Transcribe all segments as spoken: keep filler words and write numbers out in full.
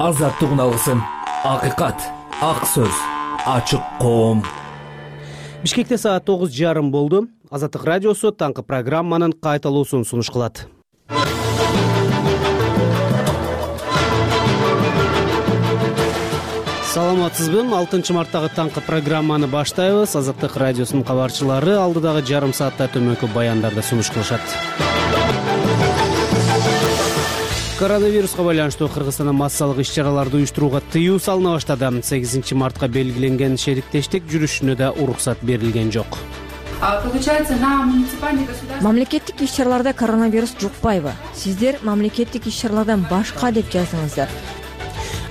азаттык уналысын, акыйкат, ак сөз, ачык коом. Бишкекте саат тогуз жарым болду. Азаттык радиосу таңкы программанын кайталуусун сунуш кылат. Саламатсызбы? алтынчы марттагы таңкы программаны баштайбыз. Азаттык радиосунун кабарчылары алдыдагы жарым саатта төмөнкү баяндарды сунуш кылышат. Коронавируска байланыштуу Кыргызстанда массалык иш-чараларды уюштурууга тыюу салына баштады. сегизинчи мартка белгиленген шериктештик жүрүшүнө да уруксат берилген жок. Получается, на муниципальный государственный... Мамлекеттик иш-чараларда коронавирус жукпайбы? Сиздер мамлекеттик иш-чаралардан башка деп жаздыңыздар.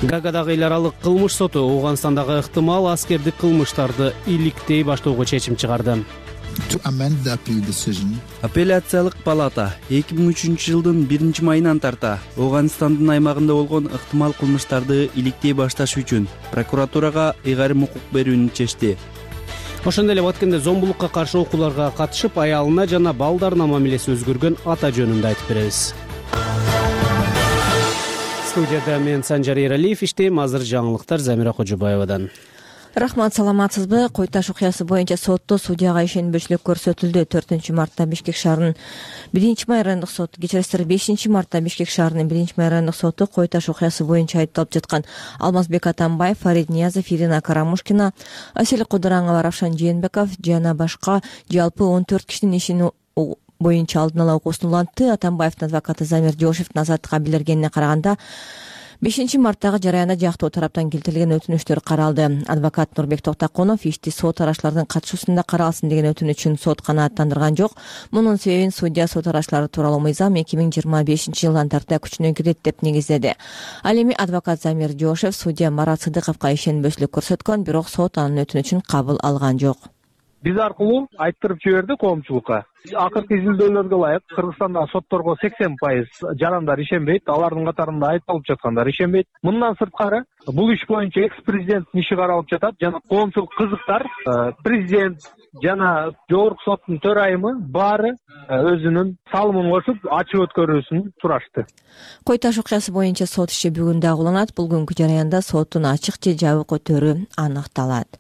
Гаагадагы эл аралык кылмыш соту Ооганстандагы ыктымал аскердик кылмыштарды иликтей баштоого чечим чыгарды. Апелляциялык палата эки миң үчүнчү жылдын биринчи майынан тарта Ооганстандын аймагында болгон ыктымал кылмыштарды иликтей башташ үчүн прокуратурага ыйгарым укук берүүнү чечти. Ошондой эле Баткенде зомбулукка каршы окууларга катышып, аялына жана балдарына мамилеси өзгөргөн ата жөнүндө айтып беребиз. Студияда мен Санжар Эралиев иштейм. Азыр жаңылыктар Замира Кожобаевадан. Рахмат, саламатсызбы? Кой-Таш окуясы боюнча сотто судьяга ишенбөчүлүк көрсөтүлдү. төртүнчү мартта Бишкек шаарынын биринчи май райондук соту, кечиресиздер, бешинчи мартта Бишкек шаарынын биринчи май райондук соту Кой-Таш окуясы боюнча айыпталып жаткан Алмазбек Атамбаев, Фарид Ниязов, Ирина Карамушкина, Асель Кудураңова, Равшан Жээнбеков жана башка жалпы он төрт кишинин ишин боюнча алдын ала окуусун улантты. Атамбаевдин адвокаты Замир Жошевдин азаттыкка билдиргенине караганда, бешинчи марттагы жараянда жактуу тараптан келтирилген өтүнүчтөр каралды. Адвокат Нурбек Токтакунов ишти сот арачылардын катышуусунда каралсын деген өтүнүчүн сот канааттандырган жок. Мунун себебин судья сот арачылары тууралуу мыйзам эки миң жыйырма бешинчи жылдан тарта күчүнө кирет деп негиздеди. Ал эми адвокат Замир Жошев судья Марат Сыдыковго ишенбөчүлүк көрсөткөн, бирок сот анын өтүнүчүн кабыл алган жок. Биз аркылуу айттырып жиберди коомчулукка. Акыркы изилдөөлөргө ылайык Кыргызстандагы сотторго сексен пайыз жарандар ишенбейт, алардын катарында айыпталып жаткандар ишенбейт. Мындан сырткары бул иш боюнча экс-президенттин иши каралып жатат жана коомчулук кызыктар, президент жана жогорку соттун төрайымы баары өзүнүн салымын кошуп ачык өткөрүүсүн сурашты. Кой-Таш окуясы боюнча сот иши бүгүн дагы уланат. Бул күнкү жараянда соттун ачык же жабык өтөрү аныкталат.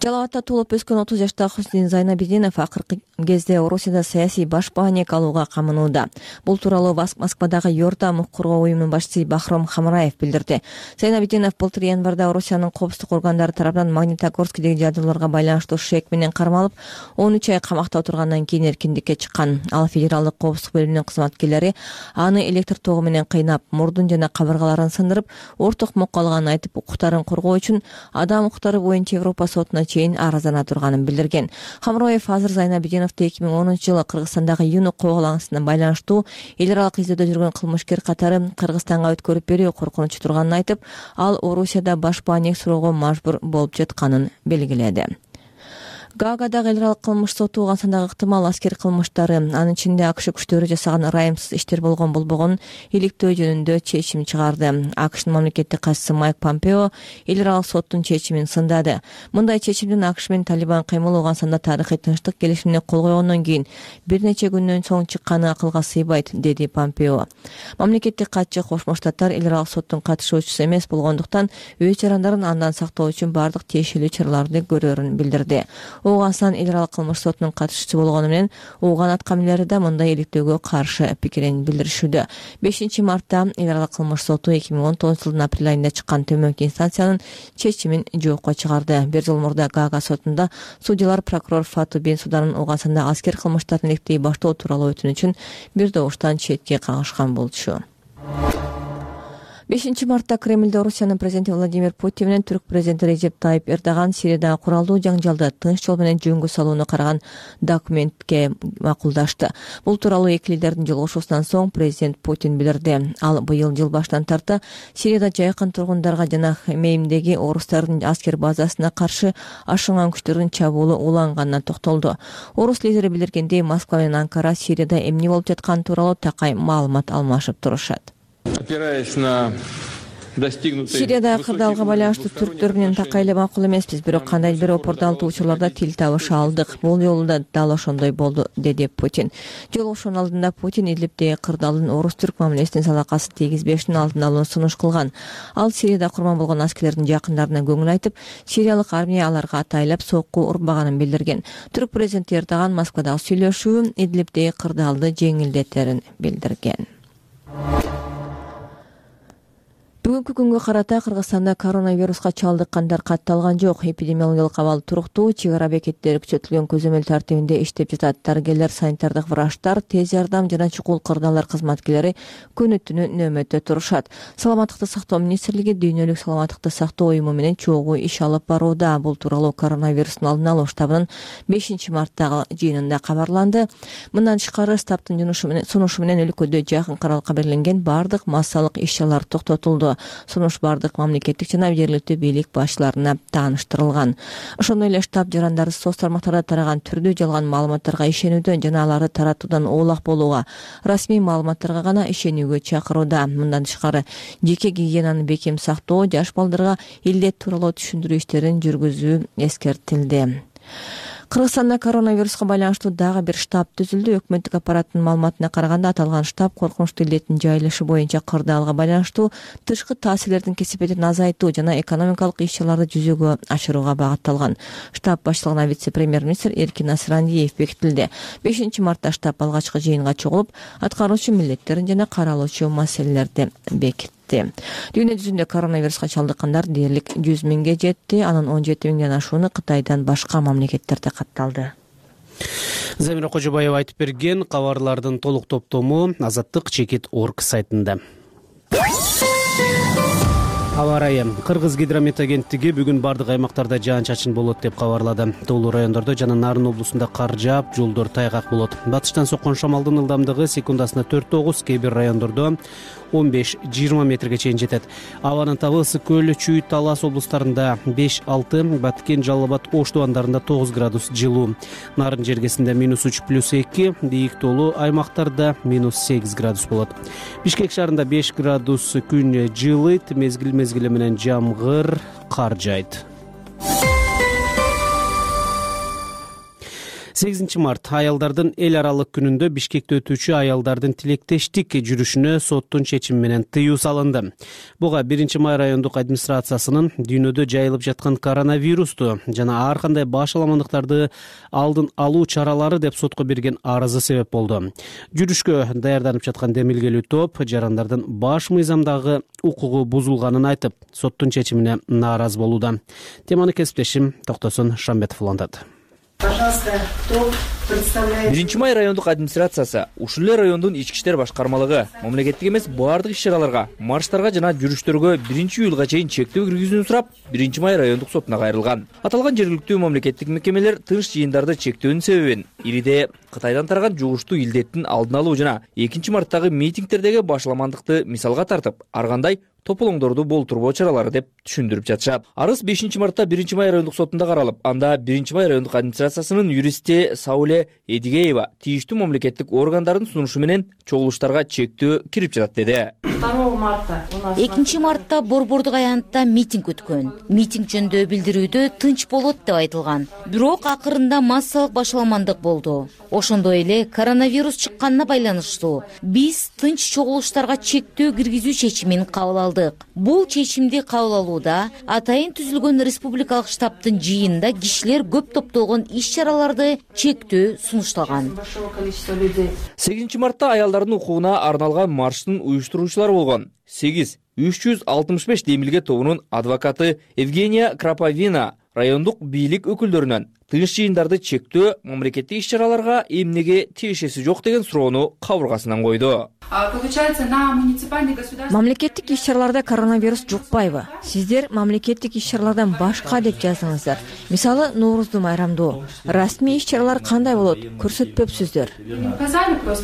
Жалал Абадта туулуп өскөн отуз жаштагы Хуснин Зайнабидинов акыркы кезде Орусияда саясий башпаанек алууга камынууда. Бул тууралуу Москвадагы Йордам укук коргоо уюмунун башчысы Бахром Хамраев билдирди. Зайнабидинов былтыр январда Орусиянын коопсуздук органдары тарабынан Магнитогорскидеги жадууларга байланыштуу шек менен кармалып, он үч ай камакта отургандан кийин эркиндикке чыккан. Ал федералдык коопсуздук бөлүмүнүн кызматкерлери аны электр тогу менен кыйнап, мурдун жана кабыргаларын сындырып, орток мокко алганын айтып, укуктарын коргоо үчүн адам укуктары боюнча Европа сотуна чейин арыздана турганын билдирген. Хамроев азыр Зайнабидиновду эки миң онунчу жылы Кыргызстандагы Юнук кабылгансына байланыштуу эл аралык издөөдө жүргөн кылмышкер катары Кыргызстанга өткөрүп берүү коркунучу турганын айтып, ал Орусияда башпаанек суроого мажбур болуп жатканын белгиледи. Гаагадагы эл аралык кылмыш соту Ооганстандагы ыктымал аскер кылмыштары, анын ичинде АКШ күчтөрү жасаган ырайымсыз иштер болгон болбогонун иликтөө жөнүндө чечим чыгарды. АКШнын мамлекеттик катчысы Майк Помпео эл аралык соттун чечимин сындады. Мындай чечимдин АКШ менен Талибан кыймылы Ооганстанда тарыхый тынчтык келишимине кол койгондон кийин бир нече күндөн соң чыкканы акылга сыйбайт, деди Помпео. Мамлекеттик катчы Кошмо Штаттар эл аралык соттун катышуучусу эмес болгондуктан өз жарандарын андан сактоо үчүн бардык тиешелүү чараларды көрөрүн билдирди. Ооганстан эл аралык кылмыш сотунун катышуучусу болгону менен ооган аткамилери да мындай иликтөөгө каршы пикирин билдиришүүдө. бешинчи мартта эл аралык кылмыш соту эки миң он тогузунчу жылдын апрель айында чыккан төмөнкү инстанциянын чечимин жокко чыгарды. Бир жыл мурда Gaga сотунда судьялар прокурор Фату Бенсуданын Ооганстанда аскер кылмыштарын иликтей баштоо тууралуу өтүнүчүн бир добуштан четке кагышкан болчу. бешинчи мартта Кремлде Орусиянын президенти Владимир Путин менен Түрк президенти Режеп Тайип Эрдоган Сириядагы куралдуу жаңжалды тынч жол менен жөнгө салууну караган документке макулдашты. Бул тууралуу эки лидердин жолугушуусунан соң президент Путин билдирди. Ал быйыл жыл баштан тарта Сирияда жайкын тургундарга жана Хмеймдеги орустардын аскер базасына каршы ашынган күчтөрдүн чабуулу уланганына токтолду. Орус лидери билдиргендей, Москва менен Анкара Сирияда эмне болуп жатканы тууралуу такай маалымат алмашып турушат. Опираясь на Сириядагы кырдаалга байланыштуу түрктөр менен такай эле макул эмеспиз, бирок кандайдыр бир опурталтуучуларда тил табыша алдык. Бул жолу да дал ошондой болду, деди Путин. Жолугушуунун алдында Путин Идлибдеги кырдаалдын орус-түрк мамилесине салакасы тийгизбештин алдын алууну сунуш кылган. Ал Сирияда курман болгон аскерлердин жакындарына көңүл айтып, сириялык армия аларга атайлап сокку урбаганын билдирген. Түрк президенти Эрдоган Москвадагы сүйлөшүү Идлибдеги кырдаалды жеңилдетерин билдирген. Бүгүнкү күнгө карата Кыргызстанда коронавируска чалдыккандар катталган жок. Эпидемиологиялык абал туруктуу, чек ара бекеттери күчөтүлгөн көзөмөл тартибинде иштеп жатат. Дарыгерлер, санитардык врачтар, тез жардам жана чукул кырдаалдар кызматкерлери күнү түнү нөөмөттө турушат. Саламаттыкты сактоо министрлиги дүйнөлүк саламаттыкты сактоо уюму менен чогуу иш алып барууда. Бул тууралуу коронавирустун алдын алуу штабынын бешинчи марттагы жыйынында кабарланды. Мындан тышкары штабтын сунушу менен өлкөдө жакынкы аралыкка белгиленген бардык массалык иш-чаралар токтотулду. Сунуш бардык мамлекеттик жана жергиликтүү бийлик башчыларына тааныштырылган. Ошондой эле штаб жарандары соц тармактарда тараган түрдүү жалган маалыматтарга ишенүүдөн жана аларды таратуудан оолак болууга, расмий маалыматтарга гана ишенүүгө чакырууда. Мындан тышкары жеке гигиенаны бекем сактоо, жаш балдарга илдет тууралуу түшүндүрүү иштерин жүргүзүү эскертилди. Кыргызстанда коронавируска байланыштуу дагы бир штаб түзүлдү. Өкмөттүк аппараттын маалыматына караганда аталган штаб коркунучтуу илдеттин жайылышы боюнча кырдаалга байланыштуу тышкы таасирлердин кесепетин азайтуу жана экономикалык иш-чараларды жүзөгө ашырууга багытталган. Штаб баштыгына вице-премьер-министр Эркин Асырандиев бекитилди. бешинчи мартта штаб алгачкы жыйынга чогулуп, аткаруучу милдеттерин жана каралуучу маселелерди бекитти. Дүйнө жүзүндө коронавируска чалдыккандар дээрлик жүз миңге жетти. Анын он жети миңден ашууну Кытайдан башка мамлекеттерде катталды. Замира Кожобаева айтып берген кабарлардын толук топтому Азаттык чекит точка орг сайтында. Аба ырайы. Кыргыз гидромет агенттиги бүгүн бардык аймактарда жаан-чачын болот деп кабарлады. Тоолуу райондордо жана Нарын облусунда кар жаап, жолдор тайгак болот. Батыштан соккон шамалдын ылдамдыгы секундасына төрт тогуз, кээ бир райондордо он беш жыйырма метрге чейин жетет. Абанын табы Ысык көл, Чүй, Талас облустарында беш алты, Баткен, Жалал Абад, Ош тубандарында тогуз градус жылуу. Нарын жергесинде минус үч плюс эки, бийик тоолуу аймактарда минус сегиз градус болот. Бишкек шаарында беш градус күн жылыйт, мезгил мезгили менен жамгыр, кар жайт. сегизинчи март аялдардын эл аралык күнүндө Бишкекте өтүүчү аялдардын тилектештик жүрүшүнө соттун чечими менен тыюу салынды. Буга биринчи май райондук администрациясынын дүйнөдө жайылып жаткан коронавирусту жана ар кандай башаламандыктарды алдын алуу чаралары деп сотко берген арызы себеп болду. Жүрүшкө даярданып жаткан демилгелүү топ жарандардын баш мыйзамдагы укугу бузулганын айтып, соттун чечимине нааразы болууда. Теманы кесиптешим Токтосун Шамбетов улантат. Пожалуйста, кто представляет? биринчи май райондук администрациясы, ушул эле райондун ички иштер башкармалыгы мамлекеттик эмес баардык иш-чараларга, марштарга жана жүрүштөргө биринчи июлга чейин чектөө киргизүүнү сурап, биринчи май райондук сотуна кайрылган. Аталган жергиликтүү мамлекеттик мекемелер тынч жыйындарды чектөөнүн себебин Ириде Кытайдан тараган жугуштуу илдеттин алдын алуу жана экинчи марттагы митингтердеги башаламандыкты мисалга тартып, ар кандай тополоңдорду болтурбоо чаралары деп түшүндүрүп жатышат. Арыз бешинчи мартта биринчи май райондук сотунда каралып, анда биринчи май райондук администрациясынын юристи Сауле Эдигеева тийиштүү мамлекеттик органдардын сунушу менен чогулуштарга чектөө кирип жатат деди. экинчи мартта Борбордук аянтта митинг өткөн. Митинг жөнүндө билдирүүдө тынч болот деп айтылган. Бирок акырында массалык башаламандык болду. Ошондой эле коронавирус чыкканына байланыштуу биз тынч чогулуштарга чектөө киргизүү чечимин кабыл алдык. Бул чечимди кабыл алууда атайын түзүлгөн республикалык штабтын жыйынында кишилер көп топтолгон иш-чараларды чектөө сунушталган. сегизинчи мартта аялдардын укугуна арналган марштын уюштуруучулары болгон сегиз үч жүз алтымыш беш демилге тобунун адвокаты Евгения Краповина райондук бийлик өкүлдөрүнөн тынч жыйындарды чектөө мамлекеттик иш-чараларга эмнеге тиешеси жок деген суроону кабыргасынан койду. Мамлекеттик иш-чараларда коронавирус жукпайбы? Сиздер мамлекеттик иш-чаралардан башка деп жаздыңыздар. Мисалы, Нооруздуу майрамдуу. Расмий иш-чаралар кандай болот? Көрсөтпөпсүздөр.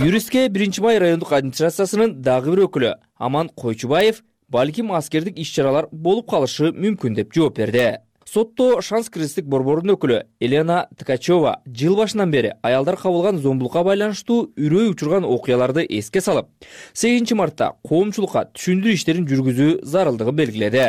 Юристке биринчи май райондук администрациясынын дагы бир өкүлү Аман Койчубаев балким аскердик иш-чаралар болуп калышы мүмкүн деп жооп берди. Сотто Шанс кризистик борборунун өкүлү Елена Ткачева жыл башынан бери аялдар кабылган зомбулукка байланыштуу үрөй учурган окуяларды эске салып, сегизинчи мартта коомчулукка түшүндүрүү иштерин жүргүзүү зарылдыгын белгиледи.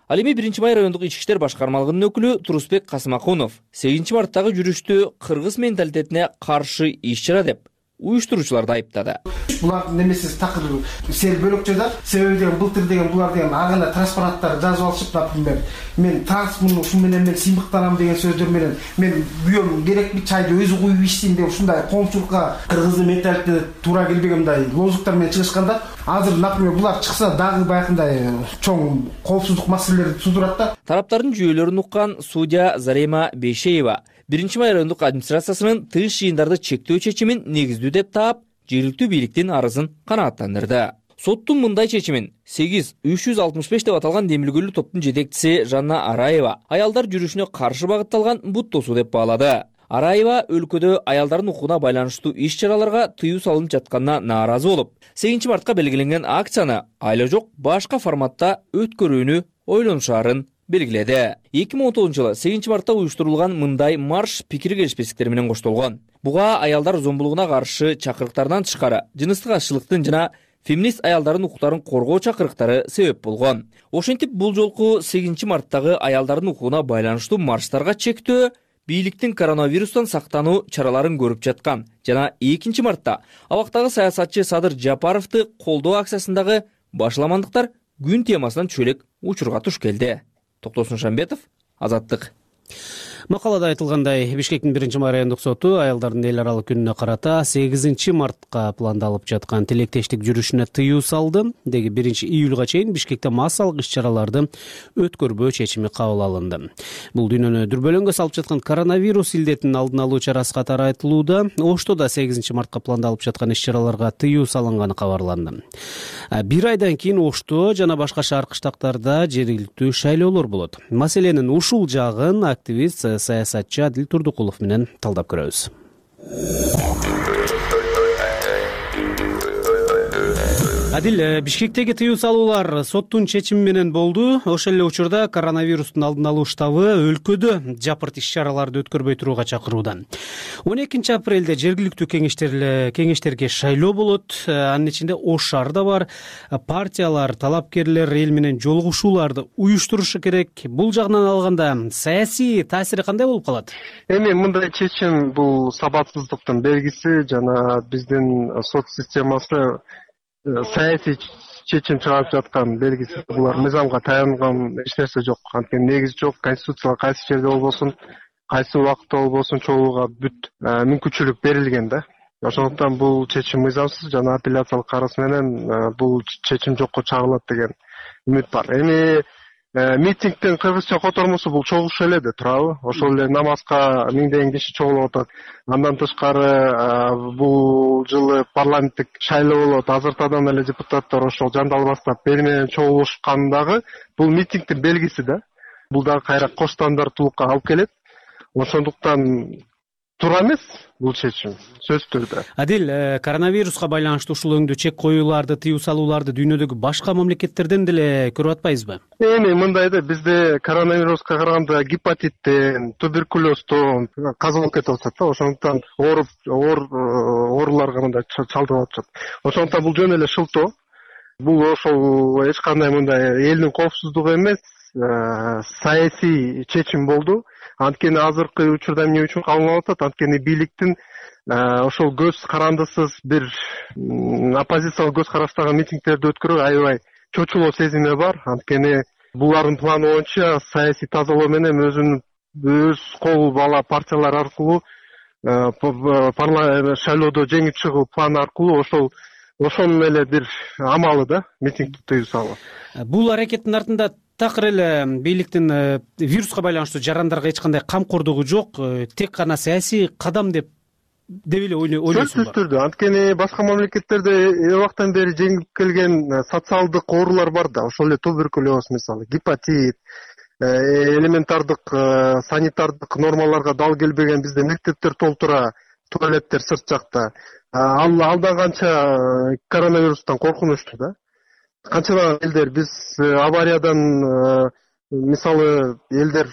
Ал эми биринчи май райондук ички иштер башкармалыгынын өкүлү Турусбек Касмакунов сегизинчи марттагы жүрүштү кыргыз менталитетине каршы иш-чара деп уюштуруучуларды айыптады. Булардын немеси такыр сел бөлөкчөдө себеби деген былтыр деген булар деген ар кандай транспаранттар жазып алышып, например, мен трансмун ушун менен мен сыймыктанам деген сөздөр менен мен күйөөм керекпи чайды өзү куюп ичсин деп ушундай коомчулукка кыргыздын менталитетине туура келбеген мындай лозунгтар менен чыгышканда, азыр, например, булар чыкса дагы баягындай чоң коопсуздук маселелерди туудурат да. Тараптардын жүйөлөрүн уккан судья Зарема Бейшеева биринчи май райондук администрациясынын тыш жыйындарды чектөө чечимин негиздүү деп таап, жергиликтүү бийликтин арызын канааттандырды. Соттун мындай чечимин сегиз үч жүз алтымыш беш деп аталган демилгөлүү топтун жетекчиси Жанна Араева аялдар жүрүшүнө каршы багытталган бут тосуу деп баалады. Араева өлкөдө аялдардын укугуна байланыштуу иш-чараларга тыюу салынып жатканына нааразы болуп, сегизинчи мартка белгиленген акцияны айла жок башка форматта өткөрүүнү ойлонушаарын белгиледи. эки миң он тогузунчу жылы сегизинчи мартта уюштурулган мындай марш пикир келишпестиктер менен коштолгон. Буга аялдар зомбулугуна каршы чакырыктардан тышкары жыныстык азчылыктын жана феминист аялдардын укуктарын коргоо чакырыктары себеп болгон. Ошентип бул жолку сегизинчи марттагы аялдардын укугуна байланыштуу марштарга чектөө бийликтин коронавирустан сактануу чараларын көрүп жаткан жана экинчи мартта абактагы саясатчы Садыр Жапаровду колдоо акциясындагы башаламандыктар күн темасынан чөлөк учурга туш келди. Токтосун Шамбетов, Азаттык. Макалада айтылгандай, Бишкектин биринчи май райондук соту аялдардын эл аралык күнүнө карата сегизинчи мартка пландалып жаткан тилектештик жүрүшүнө тыюу салды. Деги биринчи июлга чейин Бишкекте массалык иш-чараларды өткөрбөө чечими кабыл алынды. Бул дүйнөнү дүрбөлөңгө салып жаткан коронавирус илдетинин алдын алуу чарасы катары айтылууда. Ошто да сегизинчи мартка пландалып жаткан иш-чараларга тыюу салынганы кабарланды. Бир айдан кийин Ошто жана башка шаар кыштактарда жергиликтүү шайлоолор болот. Маселенин ушул жагын активист саясатчы Адил Турдукулов менен талдап көрөбүз. Адил, Бишкектеги тыюу салуулар соттун чечими менен болду. Ошол эле учурда коронавирустун алдын алуу штабы өлкөдө жапырт иш-чараларды өткөрбөй турууга чакырууда. он экинчи апрелде жергиликтүү кеңештер кеңештерге шайлоо болот. Анын ичинде Ош шаары да бар. Партиялар, талапкерлер эл менен жолугушууларды уюштурушу керек. Бул жагынан алганда саясий таасири кандай болуп калат? Эми мындай чечим бул сабатсыздыктын белгиси жана биздин сот системасы саясий чечим чыгарып жаткан белгиси. Булар мыйзамга таянган эч нерсе жок. Анткени негизи жок. Конституцияга кайсы жерде болбосун, кайсы убакытта болбосун чогууга бүт мүмкүнчүлүк берилген да. Ошондуктан бул чечим мыйзамсыз жана апелляциялык карыз менен бул чечим жокко чыгарылат деген үмүт бар. Эми митингдин кыргызча котормосу бул чогулуш эле де турабы? Ошол эле намазга миңдеген киши чогулуп атат. Андан тышкары бул жылы парламенттик шайлоо болот. Азыртадан эле депутаттар ошол жандал баштап бери менен чогулушкандагы бул митингдин белгиси да. Бул дагы кайра кош стандарттуулукка алып келет. Ошондуктан туура эмес бул чечим сөзсүз түрдө. Адил, коронавируска байланыштуу ушул өңдүү чек коюуларды, тыюу салууларды дүйнөдөгү башка мамлекеттерден деле көрүп атпайбызбы? Эми мындай да, бизде коронавируска караганда гепатиттен, туберкулездон каза болуп кетип атат да. Ошондуктан ооруп, оор ооруларга мындай чалдыгып атышат. Ошондуктан бул жөн эле шылтоо. Бул ошол эч кандай мындай элдин коопсуздугу эмес, саясий чечим болду. Анткени азыркы учурда эмне үчүн кабылып атат? Анткени бийликтин ошол көз карандысыз бир оппозициялык көз караштагы митингдерди өткөрүү аябай чочулоо сезими бар. Анткени булардын планы боюнча саясий тазалоо менен өзүнүн өз кол бала партиялар аркылуу парламент шайлоодо жеңип чыгуу планы аркылуу ошол ошонун эле бир амалы да митингди тыюу салуу. Бул аракеттин артында такыр эле бийликтин вируска байланыштуу жарандарга эч кандай камкордугу жок, тек гана саясий кадам деп деп эле ойлойсуңбу? Сөзсүз түрдө. Анткени башка мамлекеттерде убактан бери жеңип келген социалдык оорулар бар да. Ошол эле туберкулез мисалы, гепатит, элементардык санитардык нормаларга дал келбеген бизде мектептер толтура, туалеттер сырт жакта. Ал алда канча коронавирустан коркунучтуу да. Канчалаган элдер биз авариядан мисалы элдер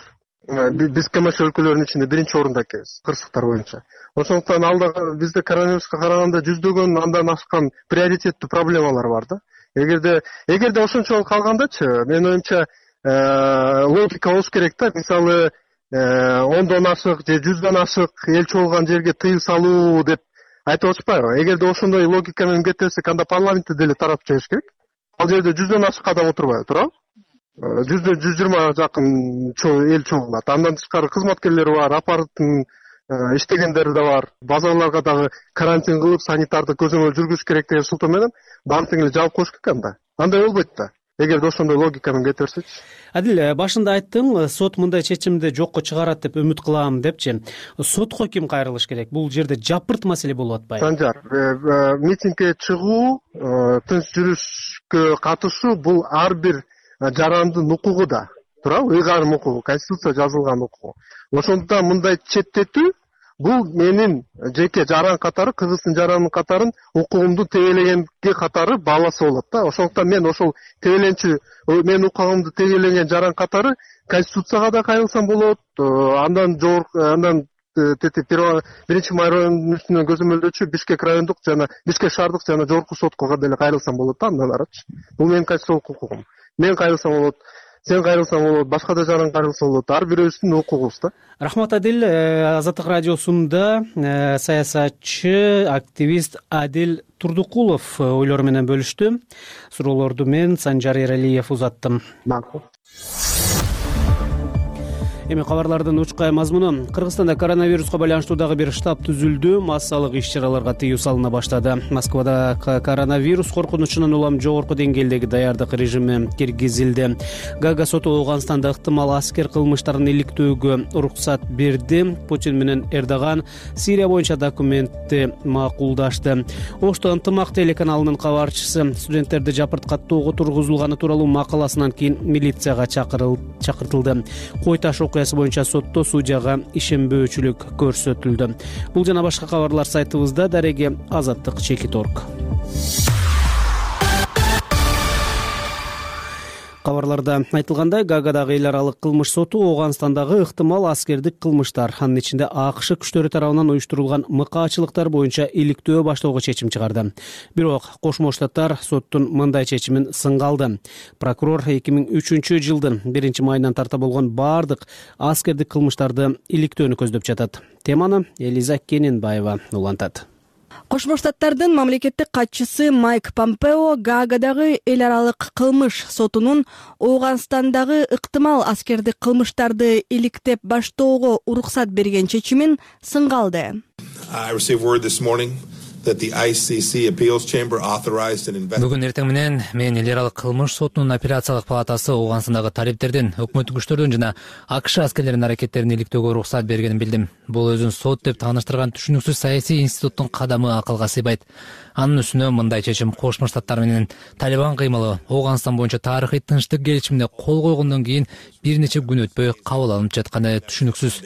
Биз КМШ өлкөлөрүнүн ичинде биринчи орунда экенбиз кырсыктар боюнча. Ошондуктан алда бизде коронавируска караганда жүздөгөн андан ашкан приоритеттүү проблемалар бар да. Эгерде эгерде ошончолук калгандачы, менин оюмча логика болуш керек да. Мисалы, ондон ашык же жүздөн ашык эл чогулган жерге тыюу салуу деп айтып атышпайбы? Эгерде ошондой логика менен кете берсек, анда парламентте деле таратып жибериш керек. Ал жерде жүздөн ашык адам отурбайбы, туурабы? жүздөн жүз жыйырма жакын эл чогулат. Андан тышкары кызматкерлер бар, аппараттын иштегендери да бар. Базарларга дагы карантин кылып, санитарды көзөмөл жүргүзүш керек деген сылтоо менен баардыгын эле жаап коюш керек анда. Андай болбойт да. Эгерде ошондой логика менен кете берсечи. Адил, башында айттың, сот мындай чечимди жокко чыгарат деп үмүт кылам депчи. Сотко ким кайрылыш керек? Бул жерде жапырт маселе болуп атпайбы? Санжар, митингге чыгуу, тынч жүрүшкө катышуу бул ар бир жарандын укугу да. Туурабы? Ыйгарым укугу, конституция жазылган укугу. Ошондуктан мындай четтетүү бул менин жеке жаран катары, кыргыздын жаранын катарын укугумду тегелегенге катары бааласа болот да. Ошондуктан мен ошол тегеленчү менин укугумду тегелеген жаран катары конституцияга да кайрылсам болот. Андан жогорку, андан тети биринчи май районунун үстүнөн көзөмөлдөөчү Бишкек райондук жана Бишкек шаардык жана жогорку сотко деле кайрылсам болот да, андан арачы. Бул менин конституциялык укугум. Мен кайрылсам болот, сен кайрылсаң болот, башка да жаран кайрылса болот. Ар бирөөбүздүн укугубуз да. Рахмат, Адил. Азаттык радиосунда саясатчы, активист Адил Турдукулов ойлору менен бөлүштү. Суроолорду мен Санжар Эралиев узаттым. Макул. Эми кабарлардын учкай мазмуну. Кыргызстанда коронавируска байланыштуу дагы бир штаб түзүлдү. Массалык иш-чараларга тыюу салына баштады. Москвада коронавирус коркунучунун улам жогорку деңгээлдеги даярдык режими киргизилди. Гага соту Ооганстанда ыктымал аскер кылмыштарын иликтөөгө уруксат берди. Путин менен Эрдоган Сирия боюнча документти макулдашты. Ошто ынтымак телеканалынын кабарчысы студенттерди жапырткаттоого тургузулганы тууралуу макаласынан кийин милицияга чакыртылды. Кой таш окуясы боюнча сотто судьяга ишенбөөчүлүк көрсөтүлдү. Бул жана башка кабарлар сайтыбызда. Дареги Азаттык чекит точка орг. Кабарларда айтылгандай, Гагадагы эл аралык кылмыш соту Ооганстандагы ыктымал аскердик кылмыштар, анын ичинде АКШ күчтөрү тарабынан уюштурулган мыкаачылыктар боюнча иликтөө баштоого чечим чыгарды. Бирок Кошмо Штаттар соттун мындай чечимин сынга алды. Прокурор эки миң үчүнчү жылдын биринчи майынан тарта болгон баардык аскердик кылмыштарды иликтөөнү көздөп жатат. Теманы Элиза Кененбаева улантат. Кошмо Штаттардын мамлекеттик катчысы Майк Помпео Гаагадагы эл аралык кылмыш сотунун Ооганстандагы ыктымал аскердик кылмыштарды иликтеп баштоого уруксат берген чечимин сынга алды. Бүгүн эртең менен мен эл аралык кылмыш сотунун апелляциялык палатасы Ооганстандагы талиптердин, өкмөттүк күчтөрдүн жана АКШ аскерлеринин аракеттерин иликтөөгө уруксат бергенин билдим. Бул өзүн сот деп тааныштырган түшүнүксүз саясий институттун кадамы акылга сыйбайт. Анын үстүнө мындай чечим Кошмо Штаттар менен Талибан кыймылы Ооганстан боюнча тарыхый тынчтык келишимине кол койгондон кийин бир нече күн өтпөй кабыл алынып жатканы түшүнүксүз.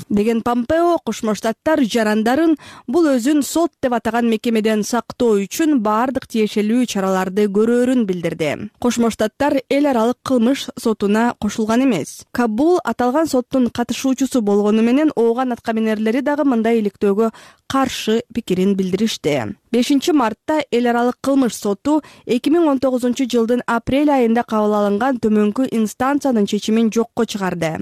Деген Помпео Кошмо Штаттар жарандарын бул өзүн сот деп атаган мекемеден сактоо үчүн баардык тиешелүү чараларды көрөөрүн билдирди. Кошмо Штаттар эл аралык кылмыш сотуна кошулган эмес. Кабул аталган соттун катышуучусу болгону менен Ооган аткаминерлери дагы мындай иликтөөгө каршы пикирин билдиришти. бешинчи мартта эл аралык кылмыш соту эки миң он тогузунчу жылдын апрель айында кабыл алынган төмөнкү инстанциянын чечимин жокко чыгарды.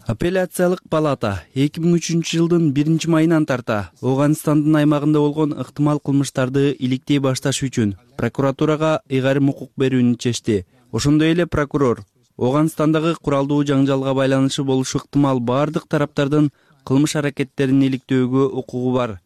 Апелляциялык палата эки миң үчүнчү жылдын биринчи майынан тарта Ооганстандын аймагында болгон ыктымал кылмыштарды иликтей башташ үчүн прокуратурага ыйгарым укук берүүнү чечти. Ошондой эле прокурор Ооганстандагы куралдуу жаңжалга байланышы болушу ыктымал баардык тараптардын кылмыш аракеттерин иликтөөгө укугу бар.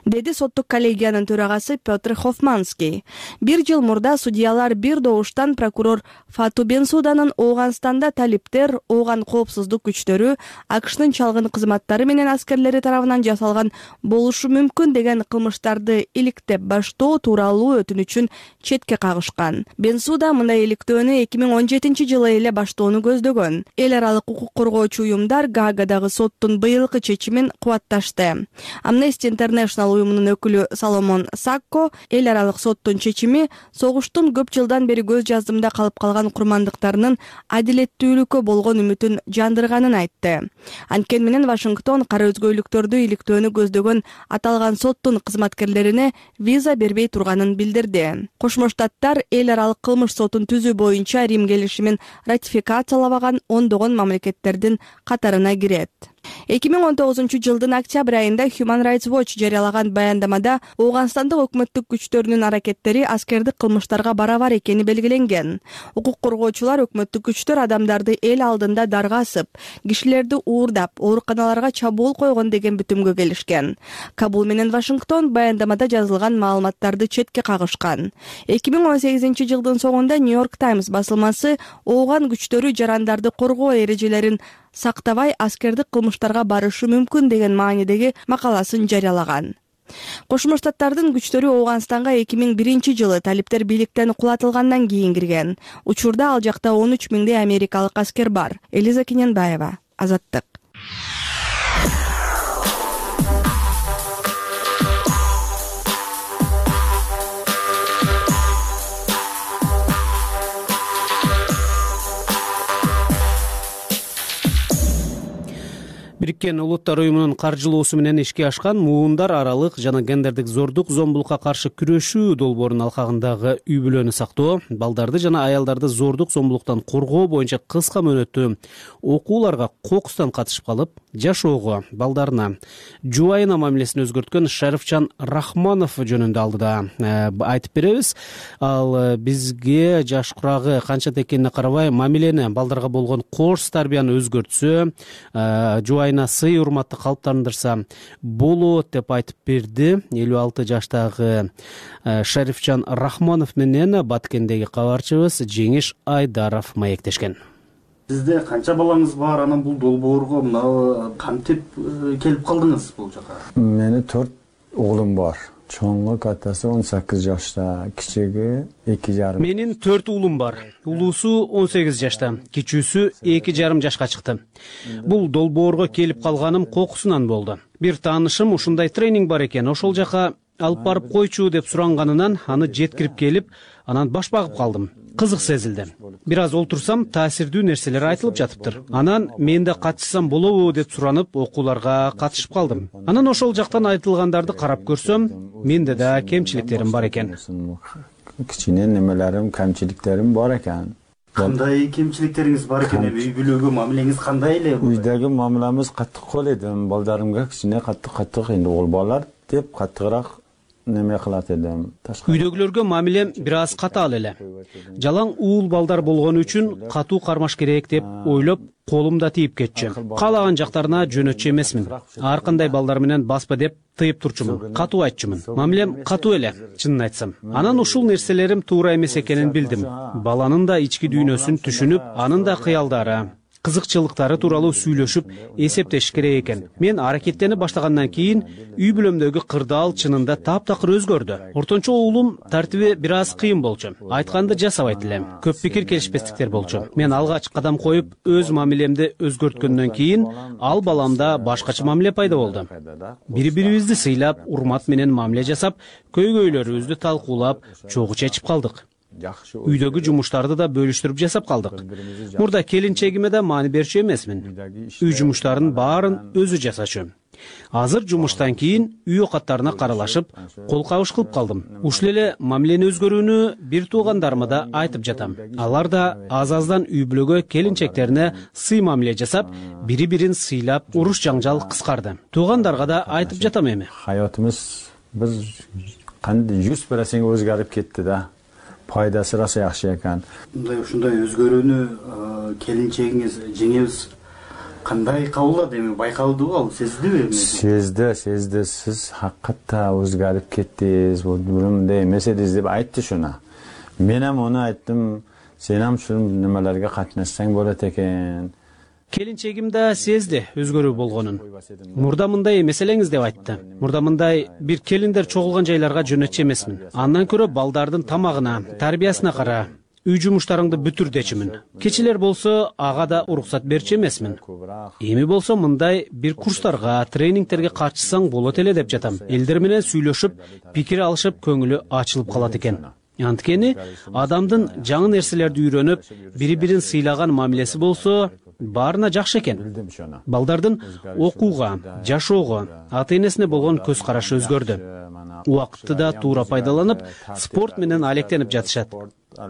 Деди соттук коллегиянын төрагасы Петр Хофманский. Бир жыл мурда судьялар бир добуштан прокурор Фату Бенсуданын Ооганстанда талиптер, Ооган коопсуздук күчтөрү, АКШнын чалгын кызматтары менен аскерлери тарабынан жасалган болушу мүмкүн деген кылмыштарды иликтеп баштоо тууралуу өтүнүчүн четке кагышкан. Бенсуда мындай иликтөөнү эки миң он жетинчи жылы эле баштоону көздөгөн. Эл аралык укук коргоочу уюмдар Гаагадагы соттун быйылкы чечими чечимин кубатташты. Amnesty International уюмунун өкүлү Соломон Сакко эл аралык соттун чечими согуштун көп жылдан бери көз жаздымда калып калган курмандыктарынын адилеттүүлүккө болгон үмүтүн жандырганын айтты. Анткени менен Вашингтон кара өзгөйлүктөрдү иликтөөнү көздөгөн аталган соттун кызматкерлерине виза бербей турганын билдирди. Кошмо Штаттар эл аралык кылмыш сотун түзүү боюнча Рим келишимин ратификациялабаган ондогон мамлекеттердин катарына кирет. эки миң он тогузунчу жылдын октябрь айында Human Rights Watch жарыялаган баяндамада Ооганстандык өкмөттүк күчтөрүнүн аракеттери аскердик кылмыштарга барабар экени белгиленген. Укук коргоочулар өкмөттүк күчтөр адамдарды эл алдында дарга асып, кишилерди уурдап, ооруканаларга чабуул койгон деген бүтүмгө келишкен. Кабул менен Вашингтон баяндамада жазылган маалыматтарды четке кагышкан. эки миң он сегизинчи жылдын соңунда New York Times басылмасы Ооган күчтөрү жарандарды коргоо эрежелерин сактабай аскердик кылмыштарга барышы мүмкүн деген маанидеги макаласын жарыялаган. Кошмо Штаттардын күчтөрү Ооганстанга эки миң биринчи жылы талиптер бийликтен кулатылгандан кийин кирген. Учурда ал жакта он үч миңдей америкалык аскер бар. Элиза Кененбаева, Азаттык. Бириккен Улуттар уюмунун каржылоосу менен ишке ашкан муундар аралык жана гендердик зордук зомбулукка каршы күрөшүү долбоорунун алкагындагы үй бүлөнү сактоо, балдарды жана аялдарды зордук зомбулуктан коргоо боюнча кыска мөөнөттүү окууларга кокустан катышып калып, жашоого, балдарына жубайына мамилесин өзгөрткөн Шарифчан Рахманов жөнүндө алдыда айтып беребиз. Ал бизге жаш курагы канча экенине карабай мамилени балдарга болгон кош тарбияны өзгөртсө, жубайына сый урматты калыптандырса болот деп айтып берди. элүү алты жаштагы Шарифчан Рахманов менен Баткендеги кабарчыбыз Жеңиш Айдаров маектешкен. Сизде канча балаңыз бар? Анан бул долбоорго мына кантип келип калдыңыз бул жака? Мени төрт уулум бар. Чоңу катасы он сегиз жашта, кичиги эки жарым. Менин төрт уулум бар. Улуусу он сегиз жашта, кичүүсү эки жарым жашка чыкты. Бул долбоорго келип калганым кокусунан болду. Бир таанышым ушундай тренинг бар экен, ошол жака алып барып койчу деп суранганынан аны жеткирип келип, анан баш багып калдым. Кызык сезилди. Бир аз олтурсам, таасирдүү нерселер айтылып жатыптыр. Анан мен да катышсам болобу деп суранып, окууларга катышып калдым. Анан ошол жактан айтылгандарды карап көрсөм, менде да кемчиликтерим бар экен. Кичине немелерим, кемчиликтерим бар экен. Кандай кемчиликтериңиз бар экен? Үй бүлөгө мамилеңиз кандай эле? Үйдөгү мамиламыз каттык кол эдим. Балдарымга кичине каттык-каттык энди ол балдар деп каттыгыраак неме кылат элем. Үйдөгүлөргө мамилем бир аз катаал эле. Жалаң уул балдар болгону үчүн катуу кармаш керек деп ойлоп, колумда тийип кетчү. Каалаган жактарына жөнөтчү эмесмин. Ар кандай балдар менен баспа деп тыйып турчумун. Катуу айтчумун. Мамилем катуу эле, чынын айтсам. Анан ушул нерселерим туура эмес экенин билдим. Баланын да ички дүйнөсүн түшүнүп, анын да кыялдары, кызыкчылыктары тууралуу сүйлөшүп, эсептешиш керек экен. Мен аракеттенип баштагандан кийин үй бүлөмдөгү кырдаал чынында таптакыр өзгөрдү. Ортончо уулум тартиби бир аз кыйын болчу. Айтканды жасабайт элем. Көп пикир келишпестиктер болчу. Мен алгач кадам коюп, өз мамилемди өзгөрткөндөн кийин ал баламда башкача мамиле пайда болду. Бири-бирибизди сыйлап, урмат менен мамиле жасап, көйгөйлөрүбүздү талкуулап, чогуу чечип калдык. Үйдөгү жумуштарды да бөлүштүрүп жасап калдык. Мурда келинчегиме да маани берчү эмесмин. Үй жумуштарын баарын өзү жасачу. Азыр жумуштан кийин үй окаттарына каралашып, кол кабыш кылып калдым. Ушул эле мамилени өзгөрүүнү бир туугандарыма да айтып жатам. Алар да аз-аздан үй бүлөгө келинчектерине сый мамиле жасап, бири-бирин сыйлап, уруш жаңжал кыскарды. Туугандарга да айтып жатам эми. Хаятыбыз биз кандай жүз процент өзгөрүп кетти да. Пайдасы раса жакшы экен. Мындай ушундай өзгөрүүнү келинчегиңиз, жеңебиз кандай кабылдады? Эми байкалдыбы, ал сездиби? Сезди, сезди. Сиз hakykatda өзгөрүп кеттиңиз, бул мындай эмес эдиңиз деп айтты шуна. Мен ham onu айттым, сен ham ушул немелерге катнашсаң болот экен. Келинчегим да сезди өзгөрүү болгонун. Мурда мындай эмес элеңиз деп айтты. Мурда мындай бир келиндер чогулган жайларга жөнөтчү эмесмин. Андан көрө балдардын тамагына, тарбиясына кара, үй жумуштарыңды бүтүр дечимин. Кечелер болсо ага да уруксат берчү эмесмин. Эми болсо мындай бир курстарга, тренингтерге катышсаң болот эле деп жатам. Элдер менен сүйлөшүп, пикир алышып, көңүлү ачылып калат экен. Анткени адамдын жаңы нерселерди үйрөнүп, бири-бирин сыйлаган мамилеси болсо, баарына жакшы экен. Балдардын окууга, жашоого, ата-энесине болгон көз карашы өзгөрдү. Убакытты да туура пайдаланып, спорт менен алектенип жатышат.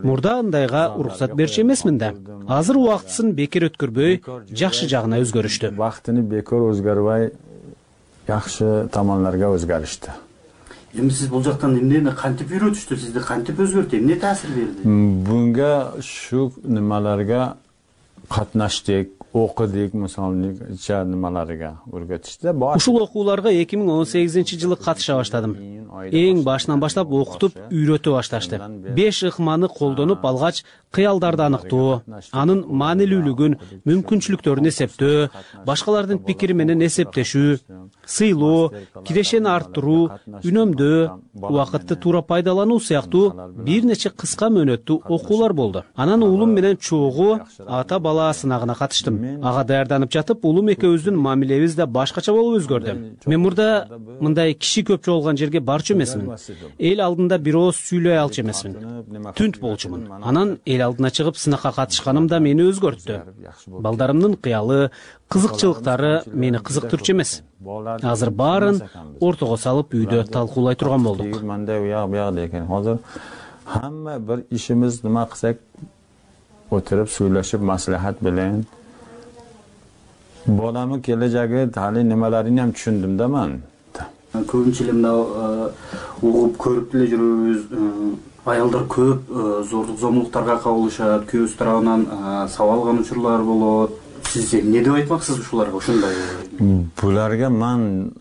Мурда андайга уруксат берчү эмесмин да. Азыр убактысын бекер өткөрбөй, жакшы жагына өзгөрүштү. Убактыны бекер өзгөрбөй, жакшы томонлорго өзгөрүштү. Эми сиз бул жактан эмнени кантип үйрөтүштү, сизди кантип өзгөртү, эмне таасир берди? Буга шу нималарга катнаштык, окудук, мисалы нималарга өргөтүштү. Ушул окууларга эки миң он сегизинчи жылы катыша баштадым. Эң башынан баштап окутуп, үйрөтө башташты. Беш ыкманы колдонуп алгач, кыялдарды аныктоо, анын маанилүүлүгүн, мүмкүнчүлүктөрүн эсептөө, башкалардын пикири менен эсептешүү, сыйлоо, кирешени арттыруу, үнөмдөө, убакытты туура пайдалануу сыяктуу бир нече кыска мөөнөттүү окуулар болду. Анан уулум менен чогуу ата бала сынагына катыштым. Ага даярданып жатып, улум экөөбүздүн мамилебиз да башкача болуп өзгөрдү. Мен мурда мындай киши көпчү болгон жерге барчу эмесмин. Эл алдында бир ооз сүйлөй алчу эмесмин. Түнт болчумун. Анан эл алдына чыгып сынакка катышканым да мени өзгөрттү. Балдарымдын кыялы, кызыкчылыктары мени кызыктырчу эмес. Азыр баарын ортого салып үйдө талкуулай турган болдук. Мындай уяк буяк деген. Азыр хамма бир ишimiz нема кылсак отуруп сүйлөшүп маслихат менен боламы кележеги тали немелерин ham түшүндүм да мен. Көбүнчө эле мына угуп көрүп деле жүрөбүз. Аялдар көп зордук зомбулуктарга кабылышат, күйөөсү тарабынан сабак алган учурлар болот. Сиз эмне деп айтмаксыз ушуларга ушундай? Буларга мен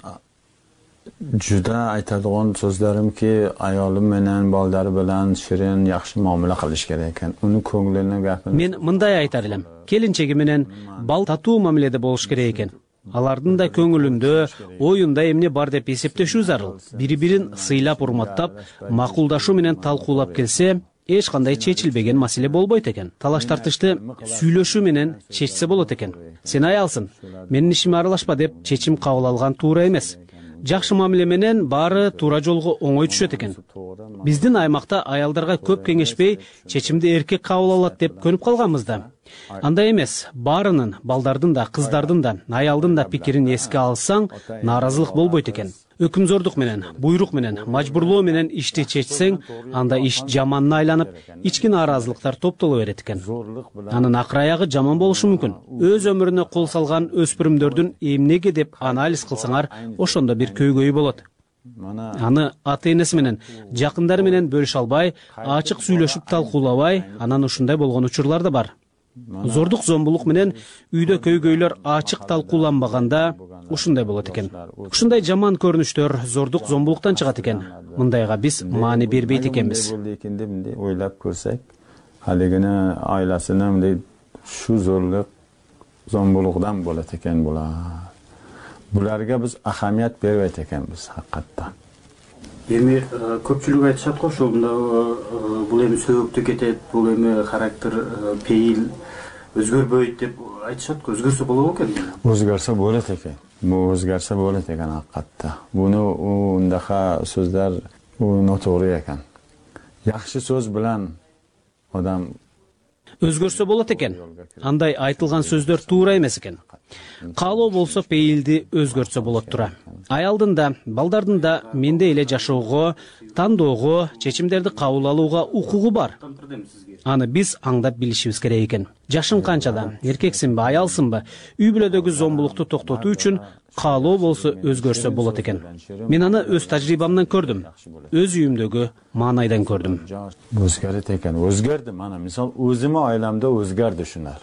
жуда айтадыган сөздөрүм ки, аялым менен, балдары менен ширин, жакшы мамиле кылыш керек экен. Унун көңүлүнө гапын. Мен мындай айтар элем. Келинчеги менен бал татуу мамиледе болуш керек экен. Алардын да көңүлүндө, оюнда эмне бар деп эсептешүү зарыл. Бири-бирин сыйлап, урматтап, макулдашуу менен талкуулап келсе, эч кандай чечилбеген маселе болбойт экен. Талаш тартышты сүйлөшүү менен чечсе болот экен. Сен аялсың, менин ишиме аралашпа деп чечим кабыл алган туура эмес. Жакшы мамиле менен баары туура жолго оңой түшөт экен. Биздин аймакта аялдарга көп кеңешпей, чечимди эркек кабыл алат деп көнүп калганбыз да. Андай эмес, баарынын, балдардын да, кыздардын да, аялдын да пикирин эске алсаң, нааразылык болбойт экен. Өкүмзордук менен, буйрук менен, мажбурлоо менен ишти чечсең, анда иш жаманына айланып, ички нааразылыктар топтоло берет экен. Анын акыр аягы жаман болушу мүмкүн. Өз өмүрүнө кол салган өспүрүмдөрдүн эмнеге деп анализ кылсаңар, ошондо бир көйгөйү болот. Аны ата-энеси менен, жакындары менен бөлүшө албай, ачык сүйлөшүп талкуулабай, анан ушундай болгон учурлар да бар. Зордук зомбулук менен үйдө көйгөйлөр ачык талкууланбаганда ушундай болот экен. Ушундай жаман көрүнүштөр зордук зомбулуктан чыгат экен. Мындайга биз маани бербейт экенбиз. Ойлоп көрсөк, алигине айласына мындай шу зорлук зомбулуктан болот экен булар. Буларга биз ахамият бербейт экенбиз хакыкатта. Эми көпчүлүк айтышат го ошондо бул эми сөөктө кетет, бул эми характер, пейил өзгөрбөйт деп айтышат го. Өзгөрсө болобу экен? Өзгөрсө болот экен. Бул өзгөрсө болот экен хакыкатта. Буну ундака сөздөр нотогруу экен. Жакшы сөз менен адам өзгөрсө болот экен. Андай айтылган сөздөр туура эмес экен. Каалоо болсо пейилди өзгөртсө болот тура. Аялдын да, балдардын да менде эле жашоого, тандоого, чечимдерди кабыл алууга укугу бар. Аны биз аңдап билишибиз керек экен. Жашың канчада, эркексиңби, аялсыңбы, үй бүлөдөгү зомбулукту токтотуу үчүн каалоо болсо өзгөрсө болот экен. Мен аны өз тажрыйбамдан көрдүм. Өз үйүмдөгү маанайдан көрдүм. Өзгөрөт экен. Өзгөрдү. Мана мисал өзүмө айламда өзгөрдү шунар.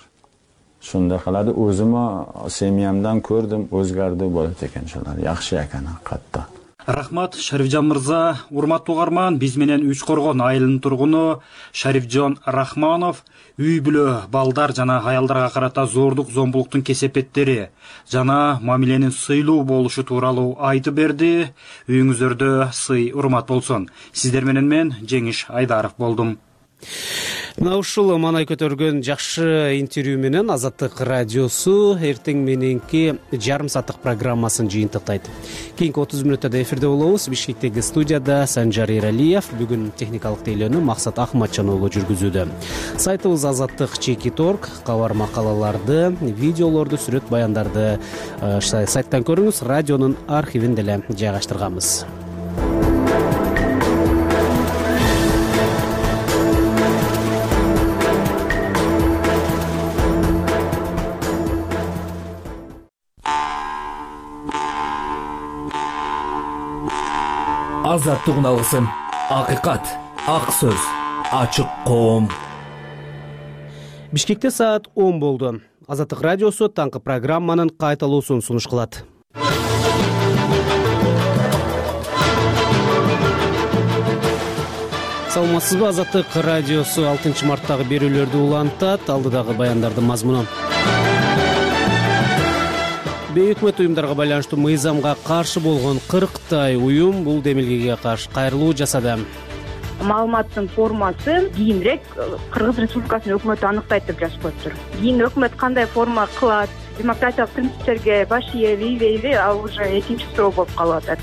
Шундай калады, өзүмө семьямдан көрдүм, өзгөрдү болот экен шулар. Жакшы экен катта. Рахмат, Шарифжан мырза. Урматтуу угарман, биз менен Үч Коргон айылынын тургуну Шарифжан Рахманов үй бүлө, балдар жана аялдарга карата зордук зомбулуктун кесепеттери жана мамиленин сыйлуу болушу тууралуу айтып берди. Үйүңүздөрдө сый, урмат болсун. Сиздер менен мен Жеңиш Айдаров болдум. Мына ушул маанай көтөргөн жакшы интервью менен Азаттык радиосу эртең мененки жарым сааттык программасын жыйынтыктайт. Кийинки отуз мүнөттөрдө эфирде болобуз. Бишкектеги студияда Санжар Эралиев, бүгүн техникалык тейлөөнү Максат Ахматжанова жүргүзүүдө. Сайтыбыз Азаттык чеки торг, кабар макалаларды, видеолорду, сүрөт баяндарды сайттан көрүңүз. Радионун архивин деле жайгаштырганбыз. Азаттык алгысым, акыйкат, ак сөз, ачык коом. Бишкекте саат он болду. Азаттык радиосу таңкы программанын кайталуусун сунуш кылат. Саламатсызбы? Азаттык радиосу алтынчы марттагы берүүлөрдү улантат. Алдыдагы баяндардын мазмуну. Бейөкмөт уюмдарга байланыштуу мыйзамга каршы болгон кырктай уюм бул демилгеге каршы кайрылуу жасады. Маалыматтын формасы кийинирээк Кыргыз Республикасынын өкмөтү аныктайт деп жазып коюптур. Кийин өкмөт кандай форма кылат, демократиялык принциптерге баш ийеби, ийбейби, ал уже экинчи суроо болуп калып атат.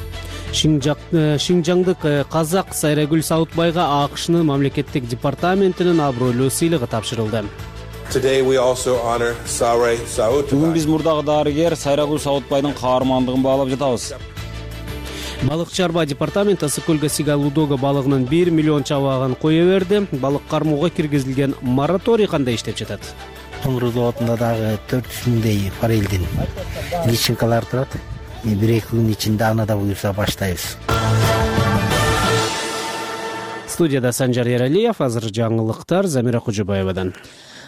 Шинжаңдык казак Сайрагүл Саутбайга АКШнын мамлекеттик департаментинин абройлуу сыйлыгы тапшырылды. Бүгүн биз мурдагы дарыгер Сайрагүл Саутбайдын каармандыгын баалап жатабыз. Балык чарба департаменти Ысык көлгө Сига Лудога балыгынын бир миллион чабагын кое берди. Балык кармоого киргизилген мораторий кандай иштеп жатат? Тоңгур заводунда дагы төрт жүз миңдей баррелдин личинкалар турат. бир эки күн ичинде аны да буюрса баштайбыз. Студияда Санжар Эралиев, азыр жаңылыктар Замира Кожобаевадан.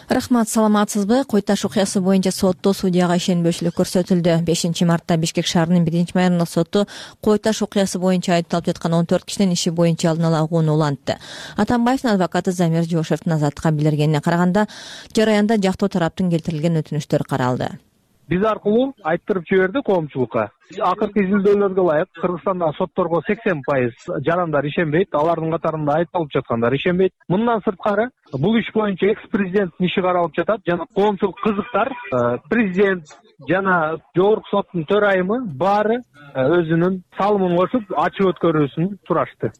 Рахмат, саламатсызбы? Кой Таш окуясы боюнча сотто судьяга ишенбөөчүлүк көрсөтүлдү. бешинчи мартта Бишкек шаарынын биринчи майрындык соту Кой Таш окуясы боюнча айыпталып жаткан он төрт кишинин иши боюнча алдын ала угууну улантты. Атамбаевдин адвокаты Замир Жошевдин азаттыкка билдиргенине караганда, жараянда жактоо тараптын келтирилген өтүнүчтөр каралды. Биз аркылуу айттырып жиберди коомчулукка. Акыркы изилдөөлөргө ылайык Кыргызстандагы сотторго сексен пайыз жарандар ишенбейт, алардын катарында айыпталып жаткандар ишенбейт. Мындан сырткары бул иш боюнча экс-президенттин иши каралып жатат жана коомчулук кызыктар, президент жана жогорку соттун төрайымы баары өзүнүн салымын кошуп ачык өткөрүүсүн сурашты.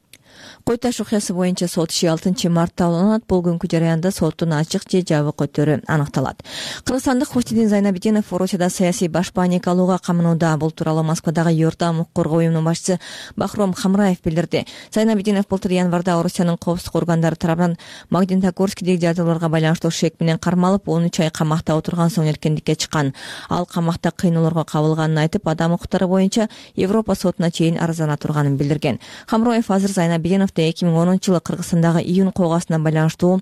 Кой Таш окуясы боюнча сот иши алтынчы мартта уланат. Бул күнкү жараянда соттун ачык же жабык өтөрү аныкталат. Кыргызстандык Хуштидин Зайнабидинов Орусияда саясий баш паник алууга камынууда. Бул тууралуу Москвадагы Юртам укук коргоо уюмунун башчысы Бахром Хамраев билдирди. Зайнабидинов былтыр январда Орусиянын коопсуздук органдары тарабынан Магнитогорскидеги жагдайларга байланыштуу шек менен кармалып, он үч ай камакта отурган соң эркиндикке чыккан. Ал камакта кыйноолорго кабылганын айтып, адам укуктары боюнча Европа сотуна чейин арызына турганын билдирген. Хамраев азыр Зайнабидиновду эки миң онунчу жылы Кыргызстандагы июнь коогасына байланыштуу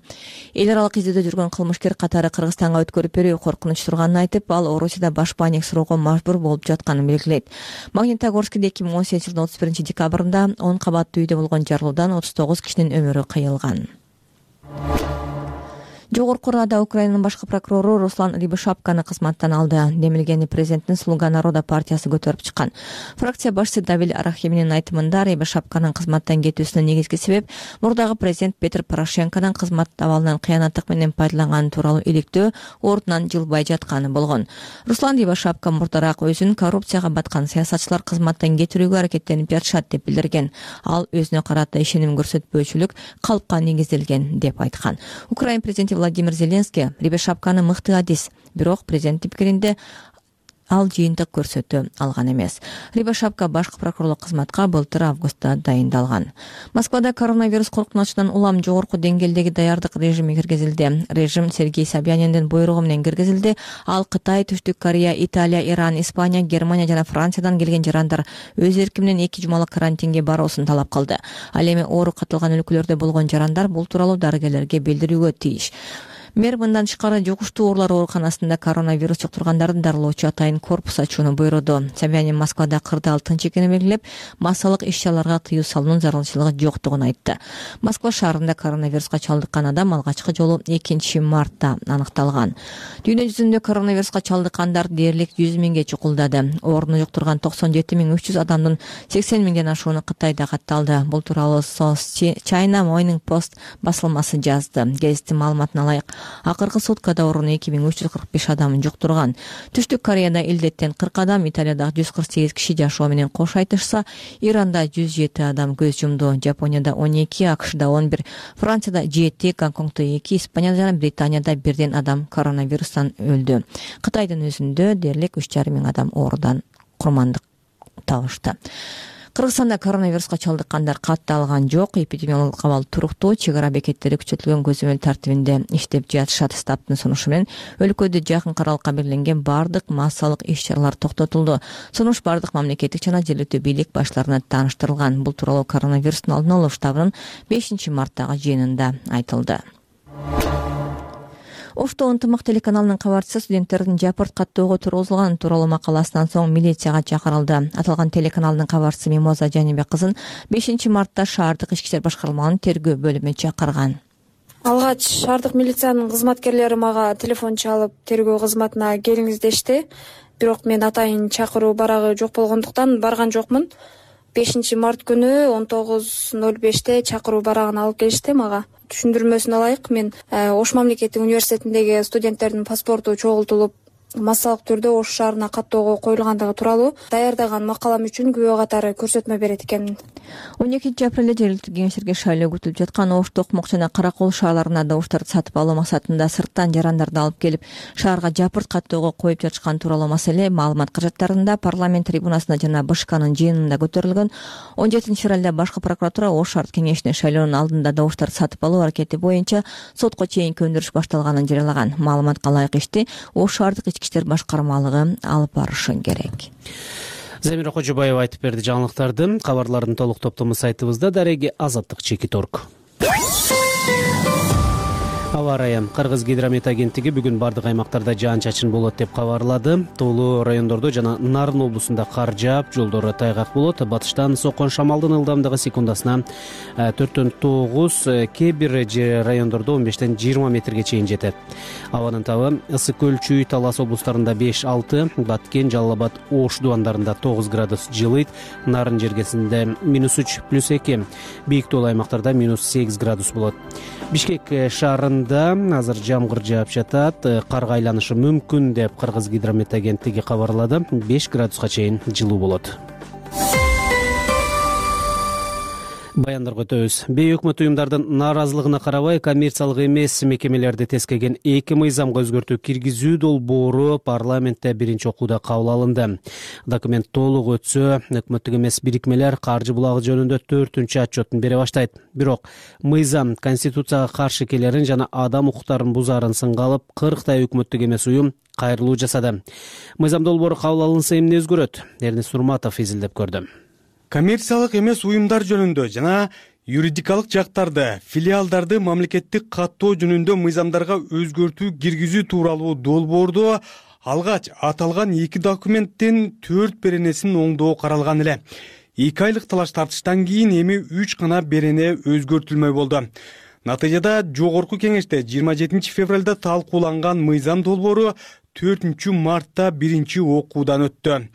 эл аралык издөөдө жүргөн кылмышкер катары Кыргызстанга өткөрүп берүү коркунуч турганын айтып, ал Орусияда баш паник суроого мажбур болуп жатканын белгилейт. Магнитогорскиде эки миң он сегизинчи жылдын отуз биринчи декабрында он кабаттуу үйдө болгон жарылуудан отуз тогуз кишинин өмүрү кыйылган. Жогорку Рада Украинанын башкы прокурору Руслан Рябошапканы кызматтан алды. Демилгени президенттин Слуга народа партиясы көтөрүп чыккан. Фракция башчысы Давиль Арахиминин айтымында Рябошапканын кызматтан кетүүсүнүн негизги себеп мурдагы президент Петр Порошенконун кызмат абалынан кыянаттык менен пайдаланганы тууралуу иликтөө ордунан жылбай жатканы болгон. Руслан Рябошапка мурдараак өзүн коррупцияга баткан саясатчылар кызматтан кетирүүгө аракеттенип жатышат деп билдирген. Ал өзүнө карата ишеним көрсөтпөөчүлүк калпка негизделген деп айткан. Украин президенти Владимир Зеленский Рябошапканы мыкты адис, бирок президенттин пикиринде ал жыйынтык көрсөтө алган эмес. Рябошапка башкы прокурорлук кызматка былтыр августта дайындалган. Москвада коронавирус коркунучунан улам жогорку деңгээлдеги даярдык режими киргизилди. Режим Сергей Собяниндин буйругу менен киргизилди. Ал Кытай, Түштүк Корея, Италия, Иран, Испания, Германия жана Франциядан келген жарандар өз эрки менен эки жумалык карантинге баруусун талап кылды. Ал эми оору катылган өлкөлөрдө болгон жарандар бул тууралуу дарыгерлерге билдирүүгө тийиш. Мэр мындан тышкары жугуштуу оорулар ооруканасында коронавирус жуктургандардын дарылоочу атайын корпус ачууну буйруду. Собянин Москвада кырдаал тынч экенин белгилеп, массалык иш-чараларга тыюу салуунун зарылчылыгы жоктугун айтты. Москва шаарында коронавируска чалдыккан адам алгачкы жолу экинчи мартта аныкталган. Дүйнө жүзүндө коронавируска чалдыккандар дээрлик жүз миңге чукулдады. Ооруну жуктурган токсон жети миң үч жүз адамдын сексен миңден ашууну Кытайда катталды. Бул тууралуу China Morning Post басылмасы жазды. Гезиттин маалыматына ылайык, акыркы суткада ооруну эки миң үч жүз кырк беш адам жуктурган. Түштүк Кореяда илдеттен кырк адам, Италияда жүз кырк сегиз киши жашоо менен кош айтышса, Иранда жүз жети адам көз жумду. Жапонияда он эки, АКШда он бир, Францияда жети, Гонконгдо эки, Испанияда жана Британияда бирден адам коронавирустан өлдү. Кытайдын өзүндө дээрлик үч жарым миң адам оорудан курмандык табышты. Кыргызстанда коронавируска чалдыккандар катталган жок. Эпидемиологдук абал туруктуу, чек ара бекеттери күчөтүлгөн көзөмөл тартибинде иштеп жатышат. Штабтын сунушу менен өлкөдө жакын аралыкка белгиленген бардык массалык иш-чаралар токтотулду. Сунуш бардык мамлекеттик жана жергиликтүү бийлик баштарына тааныштырылган. Бул тууралуу коронавирустун алдын алуу штабынын бешинчи марттагы жыйынында айтылды. Ошто ынтымак телеканалынын кабарчысы студенттердин жапырт каттоого тургузулган тууралуу макаласынан соң милицияга чакырылды. Аталган телеканалдын кабарчысы Мимоза Жанибек кызын бешинчи мартта шаардык ички иштер башкармалыгынын тергөө бөлүмү чакырган. Алгач шаардык милициянын кызматкерлери мага телефон чалып тергөө кызматына келиңиз дешти. Бирок мен атайын чакыруу барагы жок болгондуктан барган жокмун. бешинчи март күнү он тогуз ноль беште чакыруу барагын алып келишти мага. Түшүндүрмөсүнө ылайык, мен Ош мамлекеттик университетиндеги студенттердин паспорту чогултулуп, массалык түрдө Ош шаарына каттоого коюлгандыгы тууралуу даярдаган макалам үчүн күбө катары көрсөтмө берет экенмин. он экинчи апрелде жергиликтүү кеңештерге шайлоо күтүлүп жаткан Ош, Токмок жана Каракол шаарларына добуштарды сатып алуу максатында сырттан жарандарды алып келип, шаарга жапырт каттоого коюп жатышкан тууралуу маселе маалымат каражаттарында парламент трибунасында жана БШКнын жыйынында көтөрүлгөн. он жетинчи февралда башкы прокуратура Ош шаардык кеңешине шайлоонун алдында добуштарды сатып алуу аракети боюнча сотко чейинки өндүрүш башталганын жарыялаган. Маалыматка ылайык ишти Ош шаардык ички иштер башкармалыгы алып барышы керек. Замира Кожобаева айтып берди жаңылыктарды. Кабарлардын толук топтому сайтыбызда. Дареги Азаттык Чекит точка орг. Аба ырайы. Кыргыз гидромет агенттиги бүгүн бардык аймактарда жаан-чачын болот деп кабарлады. Тоолуу райондордо жана Нарын облусунда кар жаап, жолдору тайгак болот. Батыштан соккон шамалдын ылдамдыгы секундасына төрттөн тогуз, кээ бир райондордо он бештен жыйырма метрге чейин жетет. Абанын табы Ысык көл, Чүй, Талас облустарында беш алты, Баткен, Жалал Абад, Ош дубандарында тогуз градус жылыйт. Нарын жергесинде минус үч плюс эки, бийик тоолуу аймактарда минус сегиз градус болот. Бишкек шаарында азыр жамгыр жаап жатат, карга айланышы мүмкүн деп Кыргыз гидромет агенттиги кабарлады. беш градуска чейин жылуу болот. Баяндарга өтөбүз. Бей өкмөт уюмдардын нааразылыгына карабай, коммерциялык эмес мекемелерди тескеген эки мыйзамга өзгөртүү киргизүү долбоору парламентте биринчи окууда кабыл алынды. Документ толук өтсө, өкмөттүк эмес бирикмелер каржы булагы жөнүндө төртүнчү отчетун бере баштайт. Бирок мыйзам конституцияга каршы келерин жана адам укуктарын бузаарын сынга алып, кырктай өкмөттүк эмес уюм кайрылуу жасады. Мыйзам долбоору кабыл алынса эмне өзгөрөт? Эрнис Сурматов изилдеп көрдү. Коммерциялык эмес уюмдар жөнүндө жана юридикалык жактарды, филиалдарды мамлекеттик каттоо жөнүндө мыйзамдарга өзгөртүү киргизүү тууралуу долбоордо алгач аталган эки документтин төрт беренесин оңдоо каралган эле. эки айлык талаш тартыштан кийин эми үч гана берене өзгөртүлмөй болду. Натыйжада жогорку кеңеште жыйырма жетинчи февралда талкууланган мыйзам долбоору төртүнчү мартта биринчи окуудан өттү.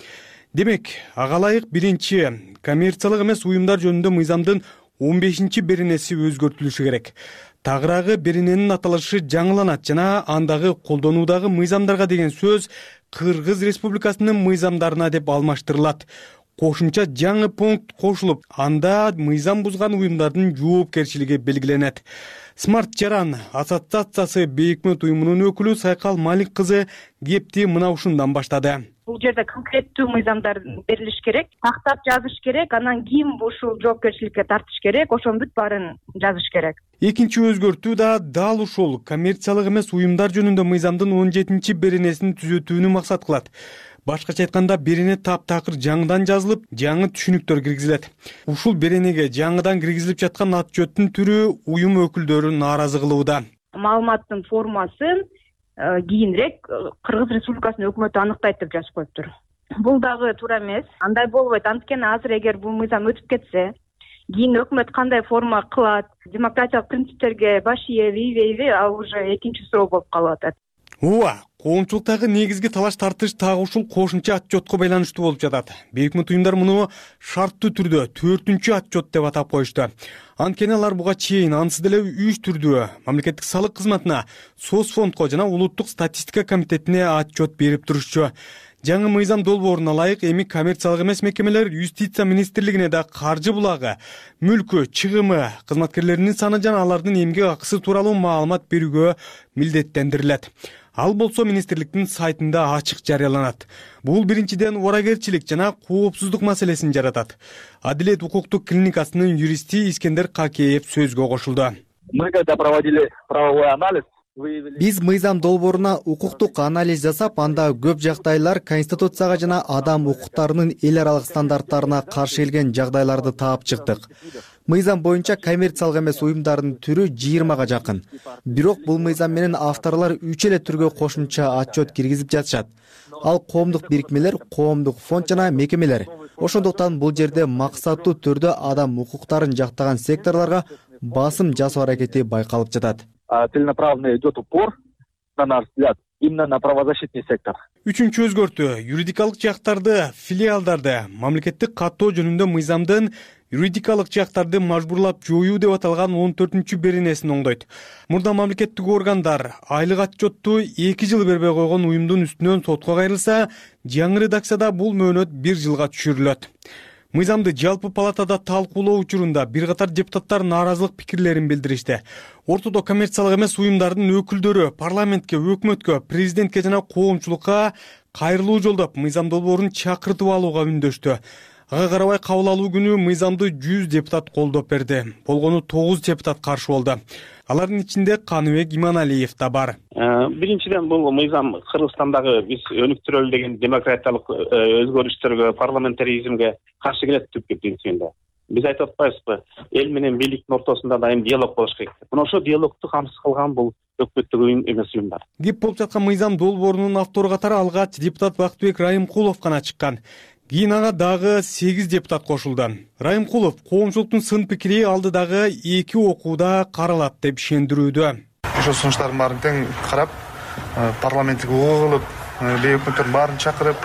Демек, ага ылайык биринчи коммерциялык эмес уюмдар жөнүндө мыйзамдын он бешинчи беренеси өзгөртүлүшү керек. Тагыраагы берененин аталышы жаңыланат жана андагы колдонуудагы мыйзамдарга деген сөз Кыргыз Республикасынын мыйзамдарына деп алмаштырылат. Кошумча жаңы пункт кошулуп, анда мыйзам бузган уюмдардын жоопкерчилиги белгиленет. Смарт Жаран ассоциациясы бейөкмөт уюмунун өкүлү Сайкал Малик кызы кепти мына ушундан баштады. Бул жерде конкреттүү мыйзамдар берилиш керек, тактап жазыш керек, анан ким ушул жоопкерчиликке тартыш керек, ошонун бүт баарын жазыш керек. Экинчи өзгөртүү да дал ушул коммерциялык эмес уюмдар жөнүндө мыйзамдын он жетинчи беренесин түзөтүүнү максат кылат. Башкача айтканда, берене таптакыр жаңыдан жазылып, жаңы түшүнүктөр киргизилет. Ушул беренеге жаңыдан киргизилип жаткан отчеттун түрү уюм өкүлдөрү нааразы кылууда. маалыматтын формасын кийинирээк Кыргыз Республикасынын өкмөтү аныктайт деп жазып коюптур. Бул дагы туура эмес. Андай болбойт. Анткени азыр эгер бул мыйзам өтүп кетсе, кийин өкмөт кандай форма кылат, демократиялык принциптерге баш ийеби, ийбейби, ал уже экинчи суроо болуп калып атат. Ооба, коомчулуктагы негизги талаш тартыш так ушул кошумча отчетко байланыштуу болуп жатат. Бейөкмөт уюмдар муну шарттуу түрдө төртүнчү отчет деп атап коюшту. Анткени алар буга чейин ансыз деле үч түрдүү мамлекеттик салык кызматына, Соцфондко жана улуттук статистика комитетине отчет берип турушчу. Жаңы мыйзам долбооруна ылайык эми коммерциялык эмес мекемелер юстиция министрлигине да каржы булагы, мүлкү, чыгымы, кызматкерлеринин саны жана алардын эмгек акысы тууралуу маалымат берүүгө милдеттендирилет. Ал болсо министрликтин сайтында ачык жарыяланат. Бул биринчиден орагерчилик жана коопсуздук маселесин жаратат. Адилет укуктук клиникасынын юристи Искендер Какеев сөзгө кошулду. Мы когда проводили правовой анализ, биз мыйзам долбооруна укуктук анализ жасап, анда көп жагдайлар Конституцияга жана адам укуктарынын эл аралык стандарттарына каршы келген жагдайларды таап чыктык. Мыйзам боюнча коммерциялык эмес уюмдардын түрү жыйырмага жакын. Бирок бул мыйзам менен авторлор үч эле түргө кошумча отчет киргизип жатышат. Ал коомдук бирикмелер, коомдук фонд жана мекемелер. Ошондуктан бул жерде максаттуу түрдө адам укуктарын жактаган секторлорго басым жасоо аракети байкалып жатат. Целенаправленно идет упор, на наш взгляд, именно на правозащитный сектор. Үчүнчү өзгөртүү юридикалык жактарды, филиалдарды мамлекеттик каттоо жөнүндө мыйзамдын юридикалык жактарды мажбурлап жоюу деп аталган он төртүнчү беренесин оңдойт. Мурда мамлекеттик органдар айлык отчетту эки жыл бербей койгон уюмдун үстүнөн сотко кайрылса, жаңы редакцияда бул мөөнөт бир жылга түшүрүлөт. Мыйзамды жалпы палатада талкуулоо учурунда бир катар депутаттар нааразылык пикирлерин билдиришти. Ортодо коммерциялык эмес уюмдардын өкүлдөрү парламентке, өкмөткө, президентке жана коомчулукка кайрылуу жолдоп мыйзам долбоорун чакыртып алууга үндөштү. Ага карабай кабыл алуу күнү мыйзамды жүз депутат колдоп берди. Болгону тогуз депутат каршы болду. Алардын ичинде Каныбек Иманалиев да бар. Биринчиден бул мыйзам Кыргызстандагы биз өнүктүрөлү деген демократиялык өзгөрүштөргө, парламентаризмге каршы келет түпкү принцибинде. Биз айтып атпайбызбы, эл менен бийликтин ортосунда дайым диалог болуш керек. Мына ошо диалогду камсыз кылган бул өкмөттүк уюм эмес уюмдар. Кеп болуп жаткан мыйзам долбоорунун автору катары алгач депутат Бактыбек Райымкулов гана чыккан. Кийин ага дагы сегиз депутат кошулду. Райымкулов коомчулуктун сын пикири алдыдагы эки окууда каралат деп ишендирүүдө. Ошо сунуштардын баарын тең карап, парламенттик угуу кылып, бейөкмөттөрдүн баарын чакырып,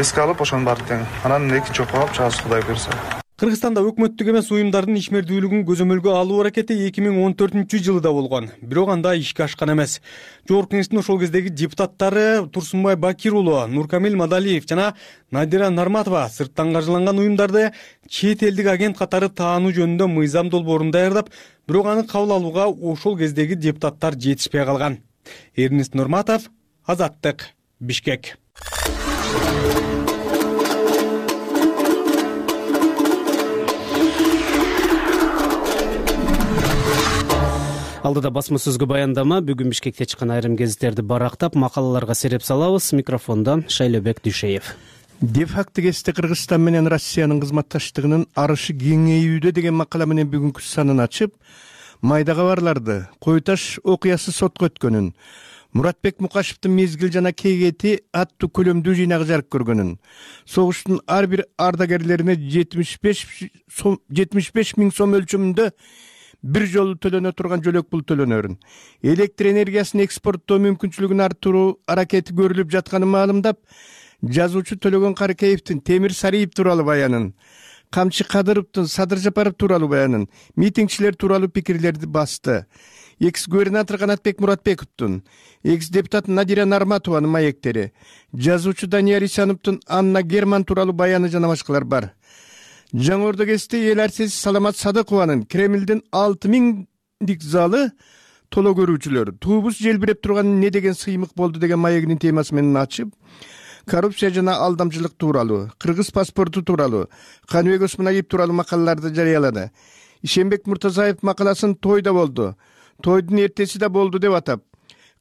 эске алып, ошонун баарын тең анан экинчи окууга алып чыгабыз, Кудай буйрса. Кыргызстанда өкмөттүк эмес уюмдардын ишмердүүлүгүн көзөмөлгө алуу аракети эки миң он төртүнчү жылда болгон. Бирок анда ишке ашкан эмес. Жогорку кеңештин ошол кездеги депутаттары Турсунбай Бакир уулу, Нуркамил Мадалиев жана Надира Нарматова сырттан каржыланган уюмдарды чет элдик агент катары таануу жөнүндө мыйзам долбоорун даярдап, бирок аны кабыл алууга ошол кездеги депутаттар жетишпей калган. Эрнест Нурматов, Азаттык, Бишкек. Алдыда басма сөзгө баяндама, бүгүн Бишкекте чыккан айрым гезиттерди барактап, макалаларга сереп салабыз. Микрофондо Шайлебек Дүйшеев. Де-факто кесте Кыргызстан менен Россиянын кызматташтыгынын арышы кеңейүүдө деген макала менен бүгүнкү санын ачып, майда кабарларды, Кой Таш окуясы сотко өткөнүн, Муратбек Мукашевдин мезгил жана кейгети аттуу көлөмдүү жыйнагы жарык көргөнүн, согуштун ар бир ардагерлерине жетимиш беш миң сом өлчөмүндө бир жолу төлөнө турган жөлөк пул төлөнөрүн, электр энергиясын экспорттоо мүмкүнчүлүгүн арттыруу аракети көрүлүп жатканын маалымдап, жазуучу Төлөгөн Каракеевдин Темир Сариев тууралуу баянын, Камчы Кадыровдун Садыр Жапаров тууралуу баянын, митингчилер тууралуу пикирлерди басты. Экс-губернатор Канатбек Муратбековдун, экс-депутат Надира Нарматованын маектери, жазуучу Данияр Исановдун Анна Герман тууралуу баяны жана башкалар бар. Жаңы Ордо кесте эл арчысы Саламат Садыкованын Кремлдин алты миңдик залы толо көрүүчүлөр туубуз желбиреп турган не деген сыймык болду деген маегинин темасы менен ачып, коррупция жана алдамчылык тууралуу, кыргыз паспорту тууралуу, Каныбек Осмоналиев тууралуу макалаларды жарыялады. Ишенбек Муртазаев макаласын тойда болду, тойдун эртеси да болду деп атап,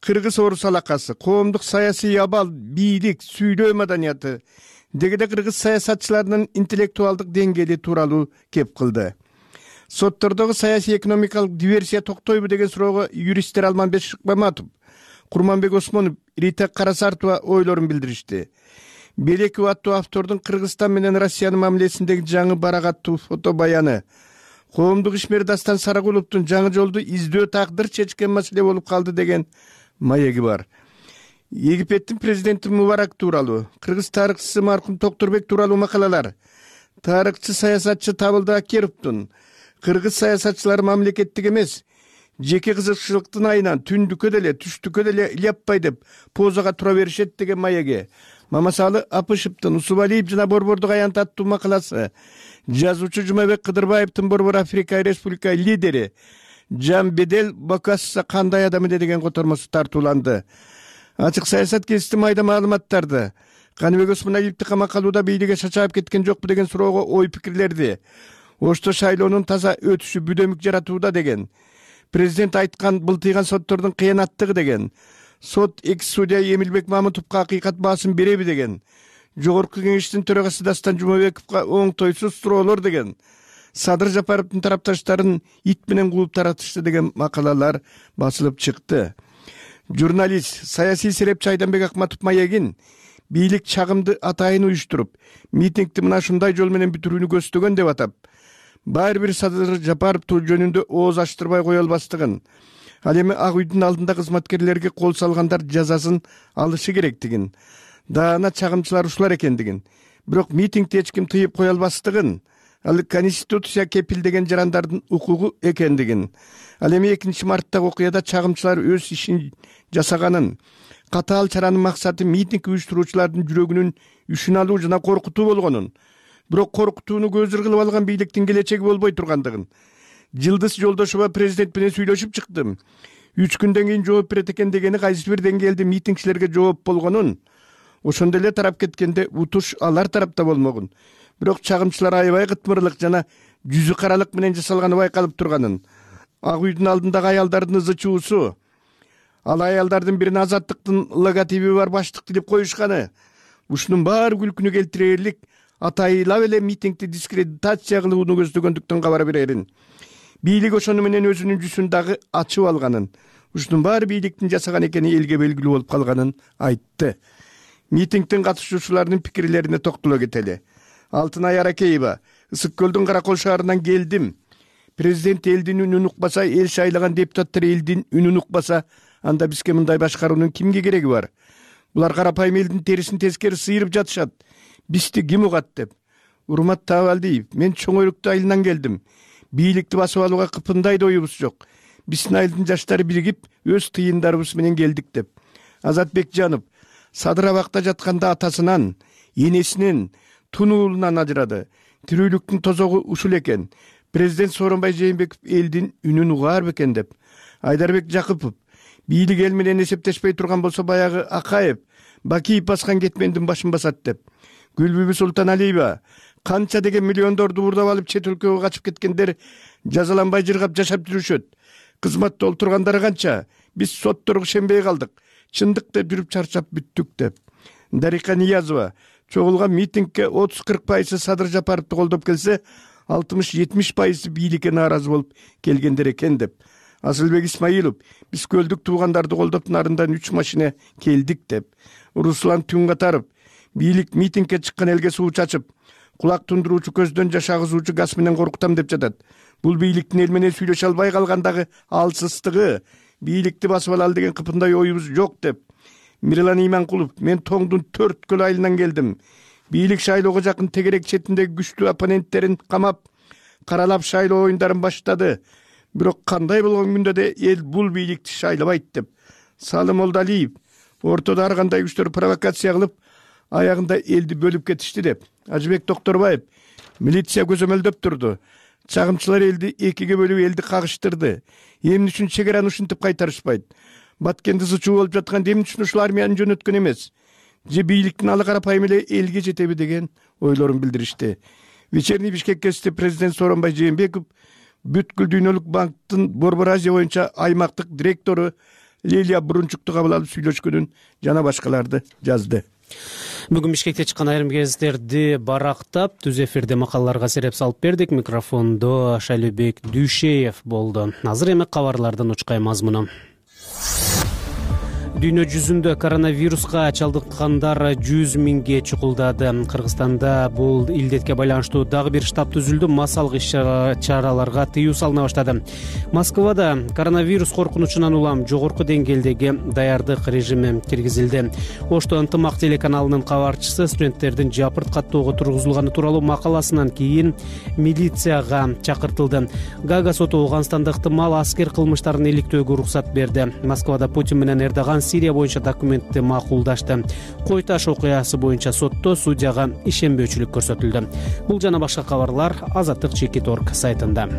кыргыз орус алакасы, коомдук саясий абал, бийлик, сүйлөө маданияты, дегеде кыргыз саясатчыларынын интеллектуалдык деңгээли тууралуу кеп кылды. соттордогу саясий экономикалык диверсия токтойбу деген суроого юристтер Алманбек Шыкмаматов, Курманбек Осмонов, Рита Карасартова ойлорун билдиришти. Белеков аттуу автордун Кыргызстан менен Россиянын мамилесиндеги жаңы барак аттуу фото баяны, коомдук ишмер Дастан Сарагуловдун жаңы жолду издөө тагдыр чечкен маселе болуп калды деген маеги бар. Египеттин президенти Мубарак тууралуу, кыргыз тарыхчысы маркум Токтурбек тууралуу макалалар, тарыхчы саясатчы Табылды Акеровдун кыргыз саясатчылары мамлекеттик эмес, жеке кызыкчылыктын айынан түндүккө деле түштүккө деле ильяппай деп позага тура беришет деген маеги, Мамасалы Апышевдин Усубалиев жана Борбордук аянт аттуу макаласы, жазуучу Жумабек Кыдырбаевдин Борбор Африка Республика лидери Жан Бедел Бокасса кандай адам эле деген котормосу тартууланды. Ачык саясат гезити майда маалыматтарды, Каныбек Осмоналиевди камакка алууда бийликке шачаап кеткен жокпу деген суроого ой пикирлерди, Ошто шайлоонун таза өтүшү бүдөмүк жаратууда деген, президент айткан былтыйган соттордун кыянаттыгы деген, сот экс судья Эмилбек Мамытовго акыйкат баасын береби деген, жогорку кеңештин төрагасы Дастан Жумабековго оңтойсуз суроолор деген, Садыр Жапаровдун тарапташтарын ит менен кууп таратышты деген макалалар басылып чыкты. Журналист, саясий серепчи Айданбек Акматов маегин бийлик чагымды атайын уюштуруп, митингди мына ушундай жол менен бүтүрүүнү көздөгөн деп атап, баары бир Садыр Жапаров жөнүндө ооз ачтырбай кое албастыгын, ал эми Ак үйдүн алдында кызматкерлерге кол салгандар жазасын алышы керектигин, даана чагымчылар ушулар экендигин, бирок митингди эч ким тыйып кое албастыгын, ал конституция кепилдеген жарандардын укугу экендигин, ал эми экинчи марттагы окуяда чагымчылар өз ишин жасаганын, катаал чаранын максаты митинг уюштуруучулардын жүрөгүнүн үшүн алуу жана коркутуу болгонун, бирок коркутууну көзүр кылып алган бийликтин келечеги болбой тургандыгын. Жылдыз Жолдошова президент менен сүйлөшүп чыктым. Үч күндөн кийин жооп берет экен дегени кайсы бир деңгээлде митингчилерге жооп болгонун, ошондо эле тарап кеткенде утуш алар тарапта болмогун. Бирок чагымчылар аябай кытмырлык жана жүзү каралык менен жасалганы байкалып турганын. Ак үйдүн алдындагы аялдардын ызы чуусу, ал аялдардын бирине азаттыктын логотиби бар баштыкты деп коюшканы, ушунун баары күлкүнү келтирерлик атайылап эле митингди дискредитация кылууну көздөгөндүктөн кабар берерин. Бийлик ошону менен өзүнүн жүзүн дагы ачып алганын, ушунун баары бийликтин жасаган экени элге белгилүү болуп калганын айтты. Митингдин катышуучуларынын пикирлерине токтоло кетели. Алтынай Аракеева, Ысык көлдүн Каракол шаарынан келдим. Президент элдин үнүн укпаса, эл шайлаган депутаттар элдин үнүн укпаса, анда бизге мындай башкаруунун кимге кереги бар? Булар карапайым элдин терисин тескери сыйрып жатышат. Бизди ким угат деп. Урмат Табалдиев, мен чоң өрүктүү айылынан келдим. Бийликти басып алууга кыпындайда оюбуз жок. Биздин айылдын жаштары биригип, өз тыйындарыбыз менен келдик деп. Азат Бекжанов, Садыр абакта жатканда атасынан, энесинен, тун уулунан ажырады. Тирүүлүктүн тозогу ушул экен. Президент Сооронбай Жээнбеков элдин үнүн угаар бекен деп. Айдарбек Жакыпов, бийлик эл менен эсептешпей турган болсо баягы Акаев, Бакиев баскан кетмендин башын басат деп. Гүлбүбү Султаналиева, канча деген миллиондорду уурдап алып чет өлкөгө качып кеткендер жазаланбай жыргап жашап жүрүшөт. Кызматта олтургандары канча? Биз сотторго ишенбей калдык. Чындык деп жүрүп чарчап бүттүк деп. Дарика Ниязова, чогулган митингке отуз кырк пайызы Садыр Жапаровду колдоп келсе, алтымыш жетимиш пайызы бийликке нааразы болуп келгендер экен деп. Асылбек Исмаилов, биз көлдүк туугандарды колдоп нарындан үч машина келдик деп. Руслан Түнгатаров, бийлик митингке чыккан элге суу чачып, кулак тундуруучу көздөн жаш агызуучу газ менен коркутам деп жатат. Бул бийликтин эл менен сүйлөшө албай калгандагы алсыздыгы, бийликти басып алалы деген кыпындай оюбуз жок деп. Мирлан Иманкулов, мен Тоңдун төрт көл айылынан келдим. Бийлик шайлоого жакын тегерек четиндеги күчтүү оппоненттерин камап, каралап шайлоо оюндарын баштады. Бирок кандай болгон күндө да эл бул бийликти шайлабайт деп. Салым Молдалиев, ортодо ар кандай күчтөр провокация кылып, аягында элди бөлүп кетишти деп. Ажыбек Докторбаев, милиция көзөмөлдөп турду. Чагымчылар элди экиге бөлүп элди кагыштырды. Эмне үчүн чек араны ушинтип кайтарышпайт? Баткенди зычуу болуп жаткан эмне үчүн ушул армияны жөнөткөн эмес? Же бийликтин алы карапайым эле элге жетеби деген ойлорун билдиришти. Вечерний Бишкек гезити президент Сооронбай Жээнбеков бүткүл дүйнөлүк банктын Борбор Азия боюнча аймактык директору Лилия Брунчукту кабыл алып сүйлөшкөнүн жана башкаларды жазды. Бүгүн Бишкекте чыккан айрым гезиттерди барактап, түз эфирде макалаларга сереп салып бердик. Микрофондо Шайлебек Дүйшеев болду. Азыр эми кабарлардын учкай мазмуну. Дүйнө жүзүндө коронавируска чалдыккандар жүз миңге чукулдады. Кыргызстанда бул илдетке байланыштуу дагы бир штаб түзүлдү. Массалык иш-чараларга тыюу салына баштады. Москвада коронавирус коркунучунан улам жогорку деңгээлдеги даярдык режими киргизилди. Ошто ынтымак телеканалынын кабарчысы студенттердин жапырт каттоого тургузулганы тууралуу макаласынан кийин милицияга чакыртылды. Гага соту Ооганстанда ыктымал аскер кылмыштарын иликтөөгө уруксат берди. Москвада Путин менен Эрдоган Сирия боюнча документти макулдашты. Кой таш окуясы боюнча сотто судьяга ишенбөөчүлүк көрсөтүлдү. Бул жана башка кабарлар Азаттык чекит точка орг сайтында.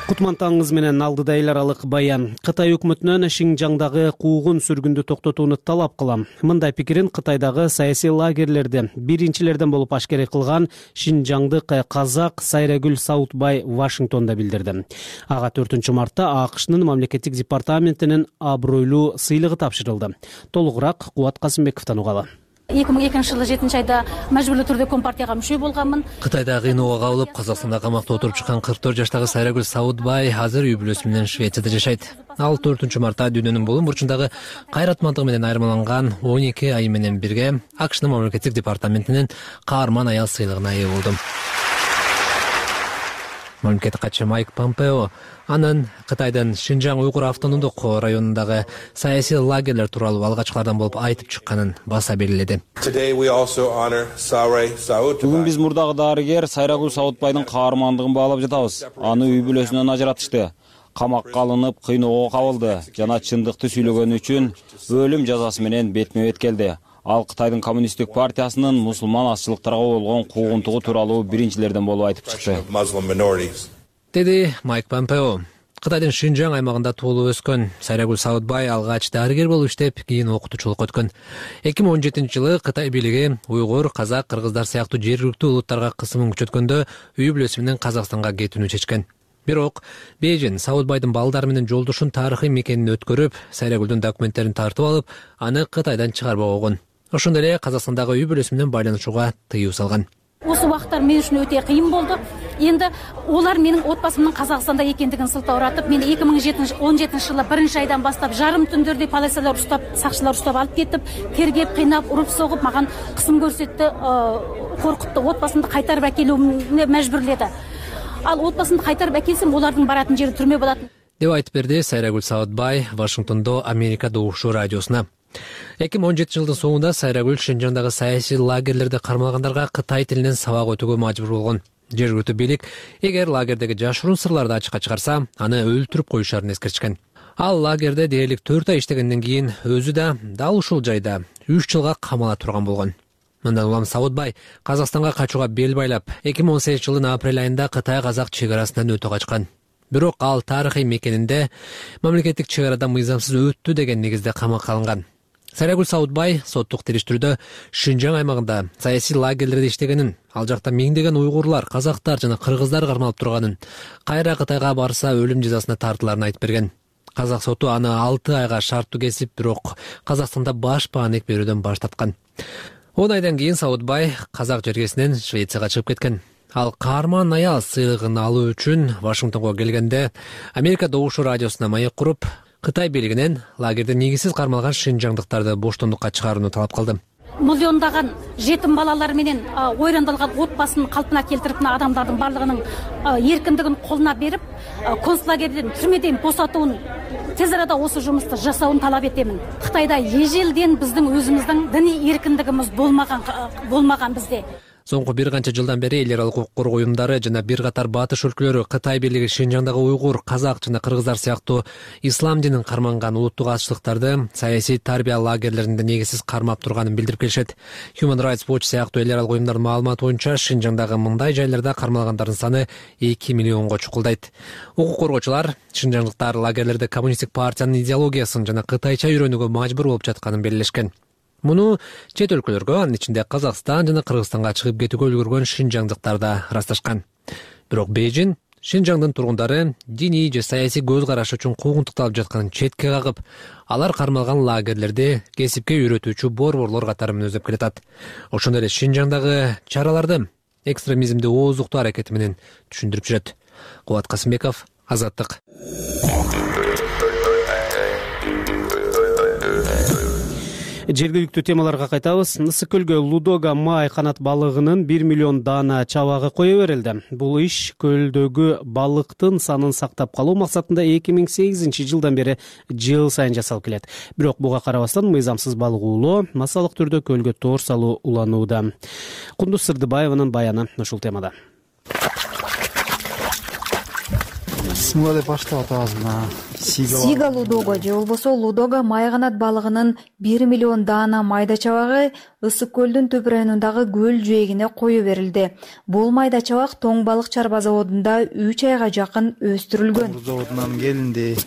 Кутман таңыңыз менен алдыда эл аралык баян. Кытай өкмөтүнөн Шинжаңдагы куугун сүргүндү токтотууну талап кылам. Мындай пикирин Кытайдагы саясий лагерлерде биринчилерден болуп ашкерей кылган шинжаңдык казак Сайрагүл Саутбай Вашингтондо билдирди. Ага төртүнчү мартта АКШнын мамлекеттик департаментинин абройлуу сыйлыгы тапшырылды. Толугураак Кубат Касымбековдон угалы. эки миң экинчи жылы жетинчи айда мажбурлуу түрдө Компартияга мүчө болгонмун. Кытайда кыйноого кабылып, Казакстанда камакта отуруп чыккан кырк төрт жаштагы Сайрагүл Саутбай азыр үй бүлөсү менен Швецияда жашайт. Ал төртүнчү мартта дүйнөнүн булум бурчундагы кайратмандыгы менен айырмаланган он эки ай менен бирге АКШнын мамлекеттик департаментинин каарман аял сыйлыгына ээ болду. Мамлекеттик катчы Майк Помпео анын Кытайдын Шинжаң уйгур автономдук районундагы саясий лагерлер тууралуу алгачкылардан болуп айтып чыкканын баса белгиледи. Бүгүн биз мурдагы дарыгер Сайрагүл Саутбайдын каармандыгын баалап жатабыз. Аны үй бүлөсүнөн ажыратышты. Камакка алынып, кыйноого кабылды жана чындыкты сүйлөгөнү үчүн өлүм жазасы менен бетме бет келди. Ал Кытайдын коммунисттик партиясынын мусулман азчылыктарга болгон куугунтугу тууралуу биринчилерден болуп айтып чыкты, деди Майк Помпео. Кытайдын Шинжаң аймагында туулуп өскөн Сайрагүл Саутбай алгач дарыгер болуп иштеп, кийин окутуучулукка өткөн. эки миң он жетинчи жылы Кытай бийлиги уйгур, казак, кыргыздар сыяктуу жергиликтүү улуттарга кысымын күчөткөндө үй бүлөсү менен Казакстанга кетүүнү чечкен. Бирок Бейжин Саутбайдын балдары менен жолдошун тарыхый мекенин өткөрүп, Сайрагүлдүн документтерин тартып алып, аны Кытайдан чыгарбак болгон. Ошондой эле Казакстандагы үй бүлөсү менен байланышууга тыюу салган. Осы убакыттар мен үчүн өтө кыйын болду. Енді олар менің отбасымның Қазақстанда екендігін сылтауратып, мені эки миң он жетинчи жылы биринчи айдан бастап жарым түндөрдө полициялар ұстап, сакчылар ұстап алып кетип, тергеп, кыйнап, уруп согуп, маған кысым көрсөттү, коркутту, отбасымды кайтарып әкелүүгө мәжбүрледі. Ал отбасымды кайтарып әкелсем, олардың баратын жери түрмө болатын деп айтып берди Сайрагүл Саутбай Вашингтондо Америка Добушу радиосуна. эки миң он жетинчи жылдын соңунда Сайрагүл Шинжаңдагы саясий лагерлерде кармалгандарга Кытай тилинен сабак өтүүгө мажбур болгон. Жергиликтүү бийлик эгер лагердеги жашыруун сырларды ачыкка чыгарса, аны өлтүрүп коюшарын эскертишкен. Ал лагерде дээрлик төрт ай иштегенден кийин өзү да дал ушул жайда үч жылга камала турган болгон. Мындан улам Саутбай Казакстанга качууга бел байлап, эки миң он сегизинчи жылдын апрель айында Кытай-Казак чек-арасынан өтө качкан. Бирок ал тарыхый мекенинде мамлекеттик чек-арада мыйзамсыз өттү деген негизде камакка алынган. Сайрагүл Саутбай соттук териштирүүдө Шинжаң аймагында саясий лагерлерде иштегенин, ал жакта миңдеген уйгурлар, казактар жана кыргыздар кармалып турганын, кайра Кытайга барса өлүм жазасына тартыларын айтып берген. Казак соту аны алты айга шарттуу кесип, бирок Казакстанда баш бааник берүүдөн баш тарткан. он айдан кийин Саутбай казак жергесинен Швецияга чыгып кеткен. Ал каарман аял сыйлыгын алуу үчүн Вашингтонго келгенде Америка Добушу радиосуна маек куруп, Кытай бийлигинен лагерде негизсиз кармалган шинжаңдыктарды боштондукка чыгарууну талап кылды. Миллиондаган жетим балалар менен ойрандалган отбасын калпына келтирип, адамдардын барлыгынын эркиндигин колуна берип, концлагерден, түрмөдөн босотууну, тез арада осы жумусту жасауын талап этемин. Кытайда эжелден биздин өзүбүздүн диний эркиндигибиз болмаган болмаган бизде. Соңку бир канча жылдан бери эл аралык укук коргоо уюмдары жана бир катар батыш өлкөлөрү Кытай бийлиги Шинжаңдагы уйгур, казак жана кыргыздар сыяктуу ислам динин карманган улуттук азчылыктарды саясий тарбия лагерлеринде негизсиз кармап турганын билдирип келишет. Human Rights Watch сыяктуу эл аралык уюмдардын маалыматы боюнча Шинжаңдагы мындай жайларда кармалгандардын саны эки миллионго чукулдайт. Укук коргоочулар шинжаңдыктар лагерлерде коммунисттик партиянын идеологиясын жана кытайча үйрөнүүгө мажбур болуп жатканын белгилешкен. Муну чет өлкөлөргө, анын ичинде Казакстан жана Кыргызстанга чыгып кетүүгө үлгүргөн шинжаңдыктар да ырасташкан. Бирок Бейжин Шинжаңдын тургундары диний же саясий көз караш үчүн куугунтукталып жатканын четке кагып, алар кармалган лагерлерди кесипке үйрөтүүчү борборлор катары мүнөздөп келатат. Ошондой эле Шинжаңдагы чараларды экстремизмди ооздуктоо аракети менен түшүндүрүп жүрөт. Кубат Касымбеков, Азаттык. Жергиликтүү темаларга кайтабыз. Ысык көлгө Лудога май канат балыгынын бир миллион даана чабагы кое берилди. Бул иш көлдөгү балыктын санын сактап калуу максатында эки миң сегизинчи жылдан бери жыл сайын жасалып келет. Бирок буга карабастан мыйзамсыз балык уулоо, массалык түрдө көлгө тоор салуу уланууда. Кундуз Сырдыбаеванын баяны ушул темада. Симга деп баштап атабыз мына Сига Лудога же болбосо Лудога май канат балыгынын бир миллион даана майда чабагы Ысык көлдүн түп районундагы көл жээгине кое берилди. Бул майда чабак Тоң балык чарба заводунда үч айга жакын өстүрүлгөн. Заводунан келинди.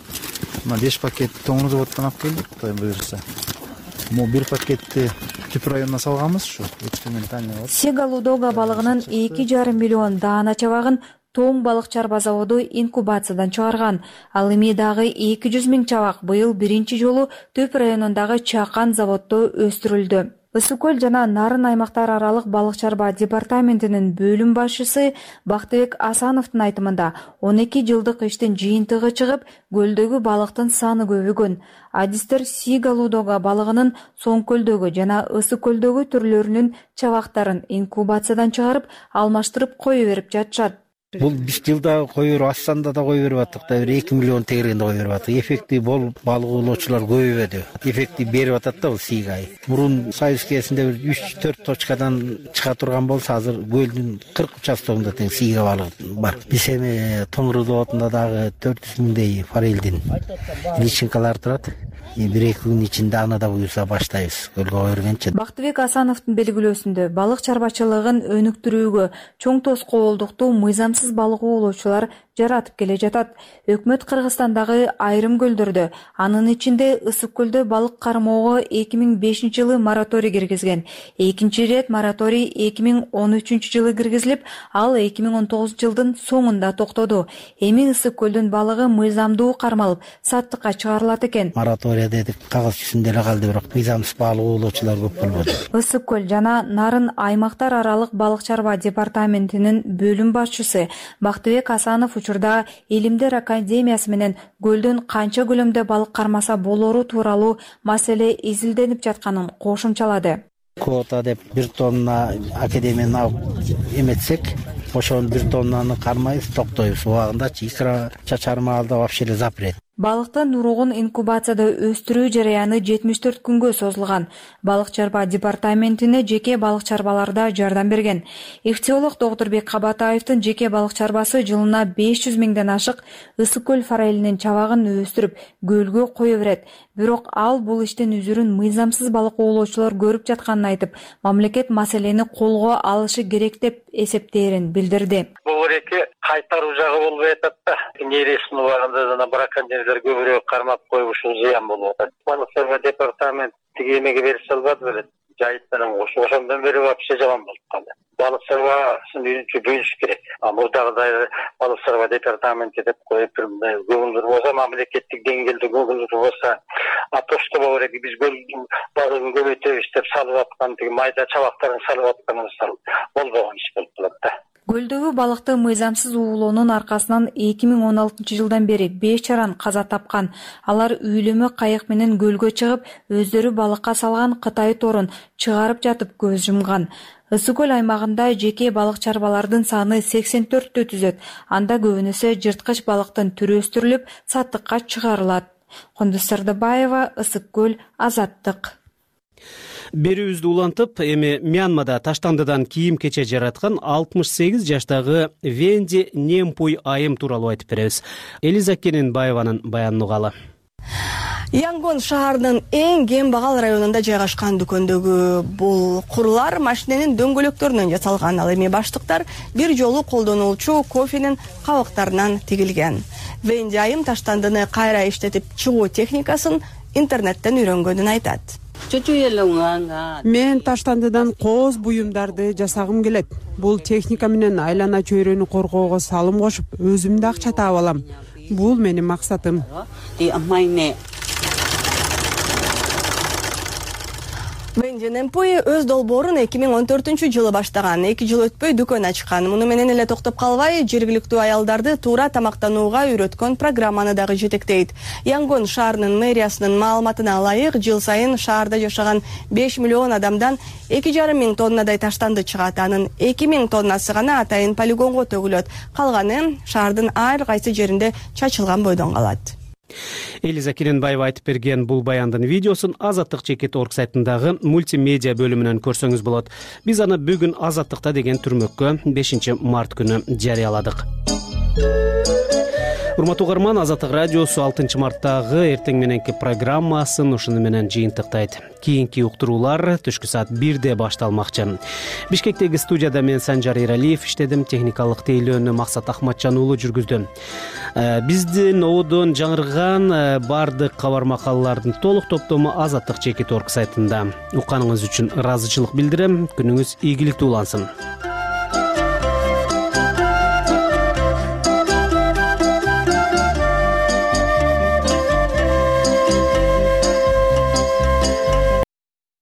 Мына беш пакет Тоң заводдон алып келдик, Кудай буйрса. Могу бир пакетти түп районуна салганбыз ушу экспериментальный. Сига Лудога балыгынын эки жарым миллион даана чабагын Тоң балык чарба заводу инкубациядан чыгарган. Ал эми дагы эки жүз миң чабак быйыл биринчи жолу Төп районундагы Чакан заводдо өстүрүлдү. Ысык көл жана Нарын аймактар аралык балык чарба департаментинин бөлүм башчысы Бактыбек Асановдун айтымында он эки жылдык иштин жыйынтыгы чыгып, көлдөгү балыктын саны көбөйгөн. Адистер Сига Лудога балыгынын Соң көлдөгү жана Ысык көлдөгү түрлөрүнүн чабактарын инкубациядан чыгарып, алмаштырып кое берип жатышат. Бул биз жылда кое берип, Ассанда да кое берип аттык да, бир эки миллион тегергенде кое берип аттык. Эффекти бол балык уулоочулар көбөйбөдү. Эффекти берип атат да бул Сигай. Мурун Союз кезинде бир үч төрт точкадан чыга турган болсо, азыр көлдүн кырк участогунда тең Сига балыгы бар. Биз эми Тоңру заводунда дагы төрт жүз миңдей форелдин личинкалар турат. бир эки күн ичинде аны да буюрса баштайбыз көлгө кое бергенче. Бактыбек Асановдун белгилөөсүндө балык чарбачылыгын өнүктүрүүгө чоң тоскоолдукту мыйзамсыз балык уулоочулар жаратып келе жатат. Өкмөт Кыргызстандагы айрым көлдөрдө, анын ичинде Ысык көлдө балык кармоого эки миң бешинчи жылы мораторий киргизген. Экинчи ирет мораторий эки миң он үчүнчү жылы киргизилип, ал эки миң он тогузунчу жылдын соңунда токтоду. Эми Ысык көлдүн балыгы мыйзамдуу кармалып, саттыкка чыгарылат экен. Мораторий дедик, кагаз жүзүндө эле калды, бирок мыйзамсыз балык уулоочулар көп болбоду. Ысык көл жана Нарын аймактар аралык балык чарба департаментинин бөлүм башчысы Бактыбек Асанов учурда Илимдер академиясы менен көлдөн канча көлөмдө балык кармаса болору тууралуу маселе изилденип жатканын кошумчалады. Квота деп бир тонна академияны алып эметсек, ошонун бир тоннаны кармайбыз, токтойбуз. Убагындачы икра чачарма алда вообще эле запрет. Балыктын уругун инкубацияда өстүрүү жараяны жетимиш төрт күнгө созулган. Балык чарба департаментине жеке балык чарбаларда жардам берген. Ихтиолог Доктурбек Кабатаевдин жеке балык чарбасы жылына беш жүз миңден ашык Ысык көл форелинин чабагын өстүрүп, көлгө кое берет. Бирок ал бул иштин үзүрүн мыйзамсыз балык уулоочулар көрүп жатканын айтып, мамлекет маселени колго алышы керек деп эсептээрин билдирди. Бул эки кайтаруу жагы болбой атат да. Нересин убагында жана браконьерлер көбүрөөк кармап коюп ушул зыян болуп атат. Балык чарба департамент тиги эмеге берише албады беле. Жайыттан ошондон бери вообще жаман болуп калды. Балык чарбасын үйрөнчү бөлүш керек. А мурдагыдай балык чарба департаменти деп коюп көңүлдүр болсо, мамлекеттик деңгээлде көңүлдүр болсо, а то что керек биз көлдүн балыгын көбөйтөбүз деп салып аткан тиги майда чабактарын салып атканыбыз болбогон иш болуп калат да. Көлдөгү балыкты мыйзамсыз уулоонун аркасынан эки миң он алтынчы жылдан бери беш жаран каза тапкан. Алар үйлөмө кайык менен көлгө чыгып, өздөрү балыкка салган Кытай торун чыгарып жатып көз жумган. Ысык көл аймагында жеке балык чарбалардын саны сексен төрттө түзөт. Анда көбүнөсү жырткыч балыктын түрү өстүрүлүп, саттыкка чыгарылат. Кундуз Сырдыбаева, Ысык көл, Азаттык. Берүүбүздү улантып, эми Мьянмада таштандыдан кийим кече жараткан алтымыш сегиз жаштагы Венди Немпуй айым тууралуу айтып беребиз. Элиза Кененбаеванын баянын угалы. Янгон шаарынын эң кем багал районунда жайгашкан дүкөндөгү бул курлар машиненин дөңгөлөктөрүнөн жасалган. Ал эми баштыктар бир жолу колдонулчу кофенин кабыктарынан тигилген. Венди айым таштандыны кайра иштетип чыгуу техникасын интернеттен үйрөнгөнүн айтат. Мен таштандыдан кооз буюмдарды жасагым келет. Бул техника менен айлана чөйрөнү коргоого салым кошуп, өзүм да акча таап алам. Бул менин максатым. Венжен Эмпуи өз долбоорун эки миң он төртүнчү жылы баштаган. эки жыл өтпөй дүкөн ачкан. Муну менен эле токтоп калбай, жергиликтүү аялдарды туура тамактанууга үйрөткөн программаны дагы жетектейт. Янгон шаарынын мэриясынын маалыматына ылайык, жыл сайын шаарда жашаган беш миллион адамдан эки жарым миң тоннадай таштанды чыгат. Анын эки миң тоннасы гана атайын полигонго төгүлөт. Калганы шаардын ар кайсы жеринде чачылган бойдон калат. Элиза Керенбаева айтып берген бул баяндын видеосун азаттык чекит орг сайтындагы мультимедиа бөлүмүнөн көрсөңүз болот. Биз аны бүгүн Азаттыкта деген түрмөккө бешинчи март күнү жарыяладык. Урматтуу угарман, Азаттык радиосу алтынчы марттагы эртең мененки программасын ушуну менен жыйынтыктайт. Кийинки уктуруулар түшкү саат бирде башталмакчы. Бишкектеги студияда мен Санжар Эралиев иштедим, техникалык тейлөөнү Максат Ахматжан уулу жүргүздү. Биздин ободон жаңырган бардык кабар макалалардын толук топтому Азаттык чекит орг сайтында. Укканыңыз үчүн ыраазычылык билдирем. Күнүңүз ийгиликтүү улансын.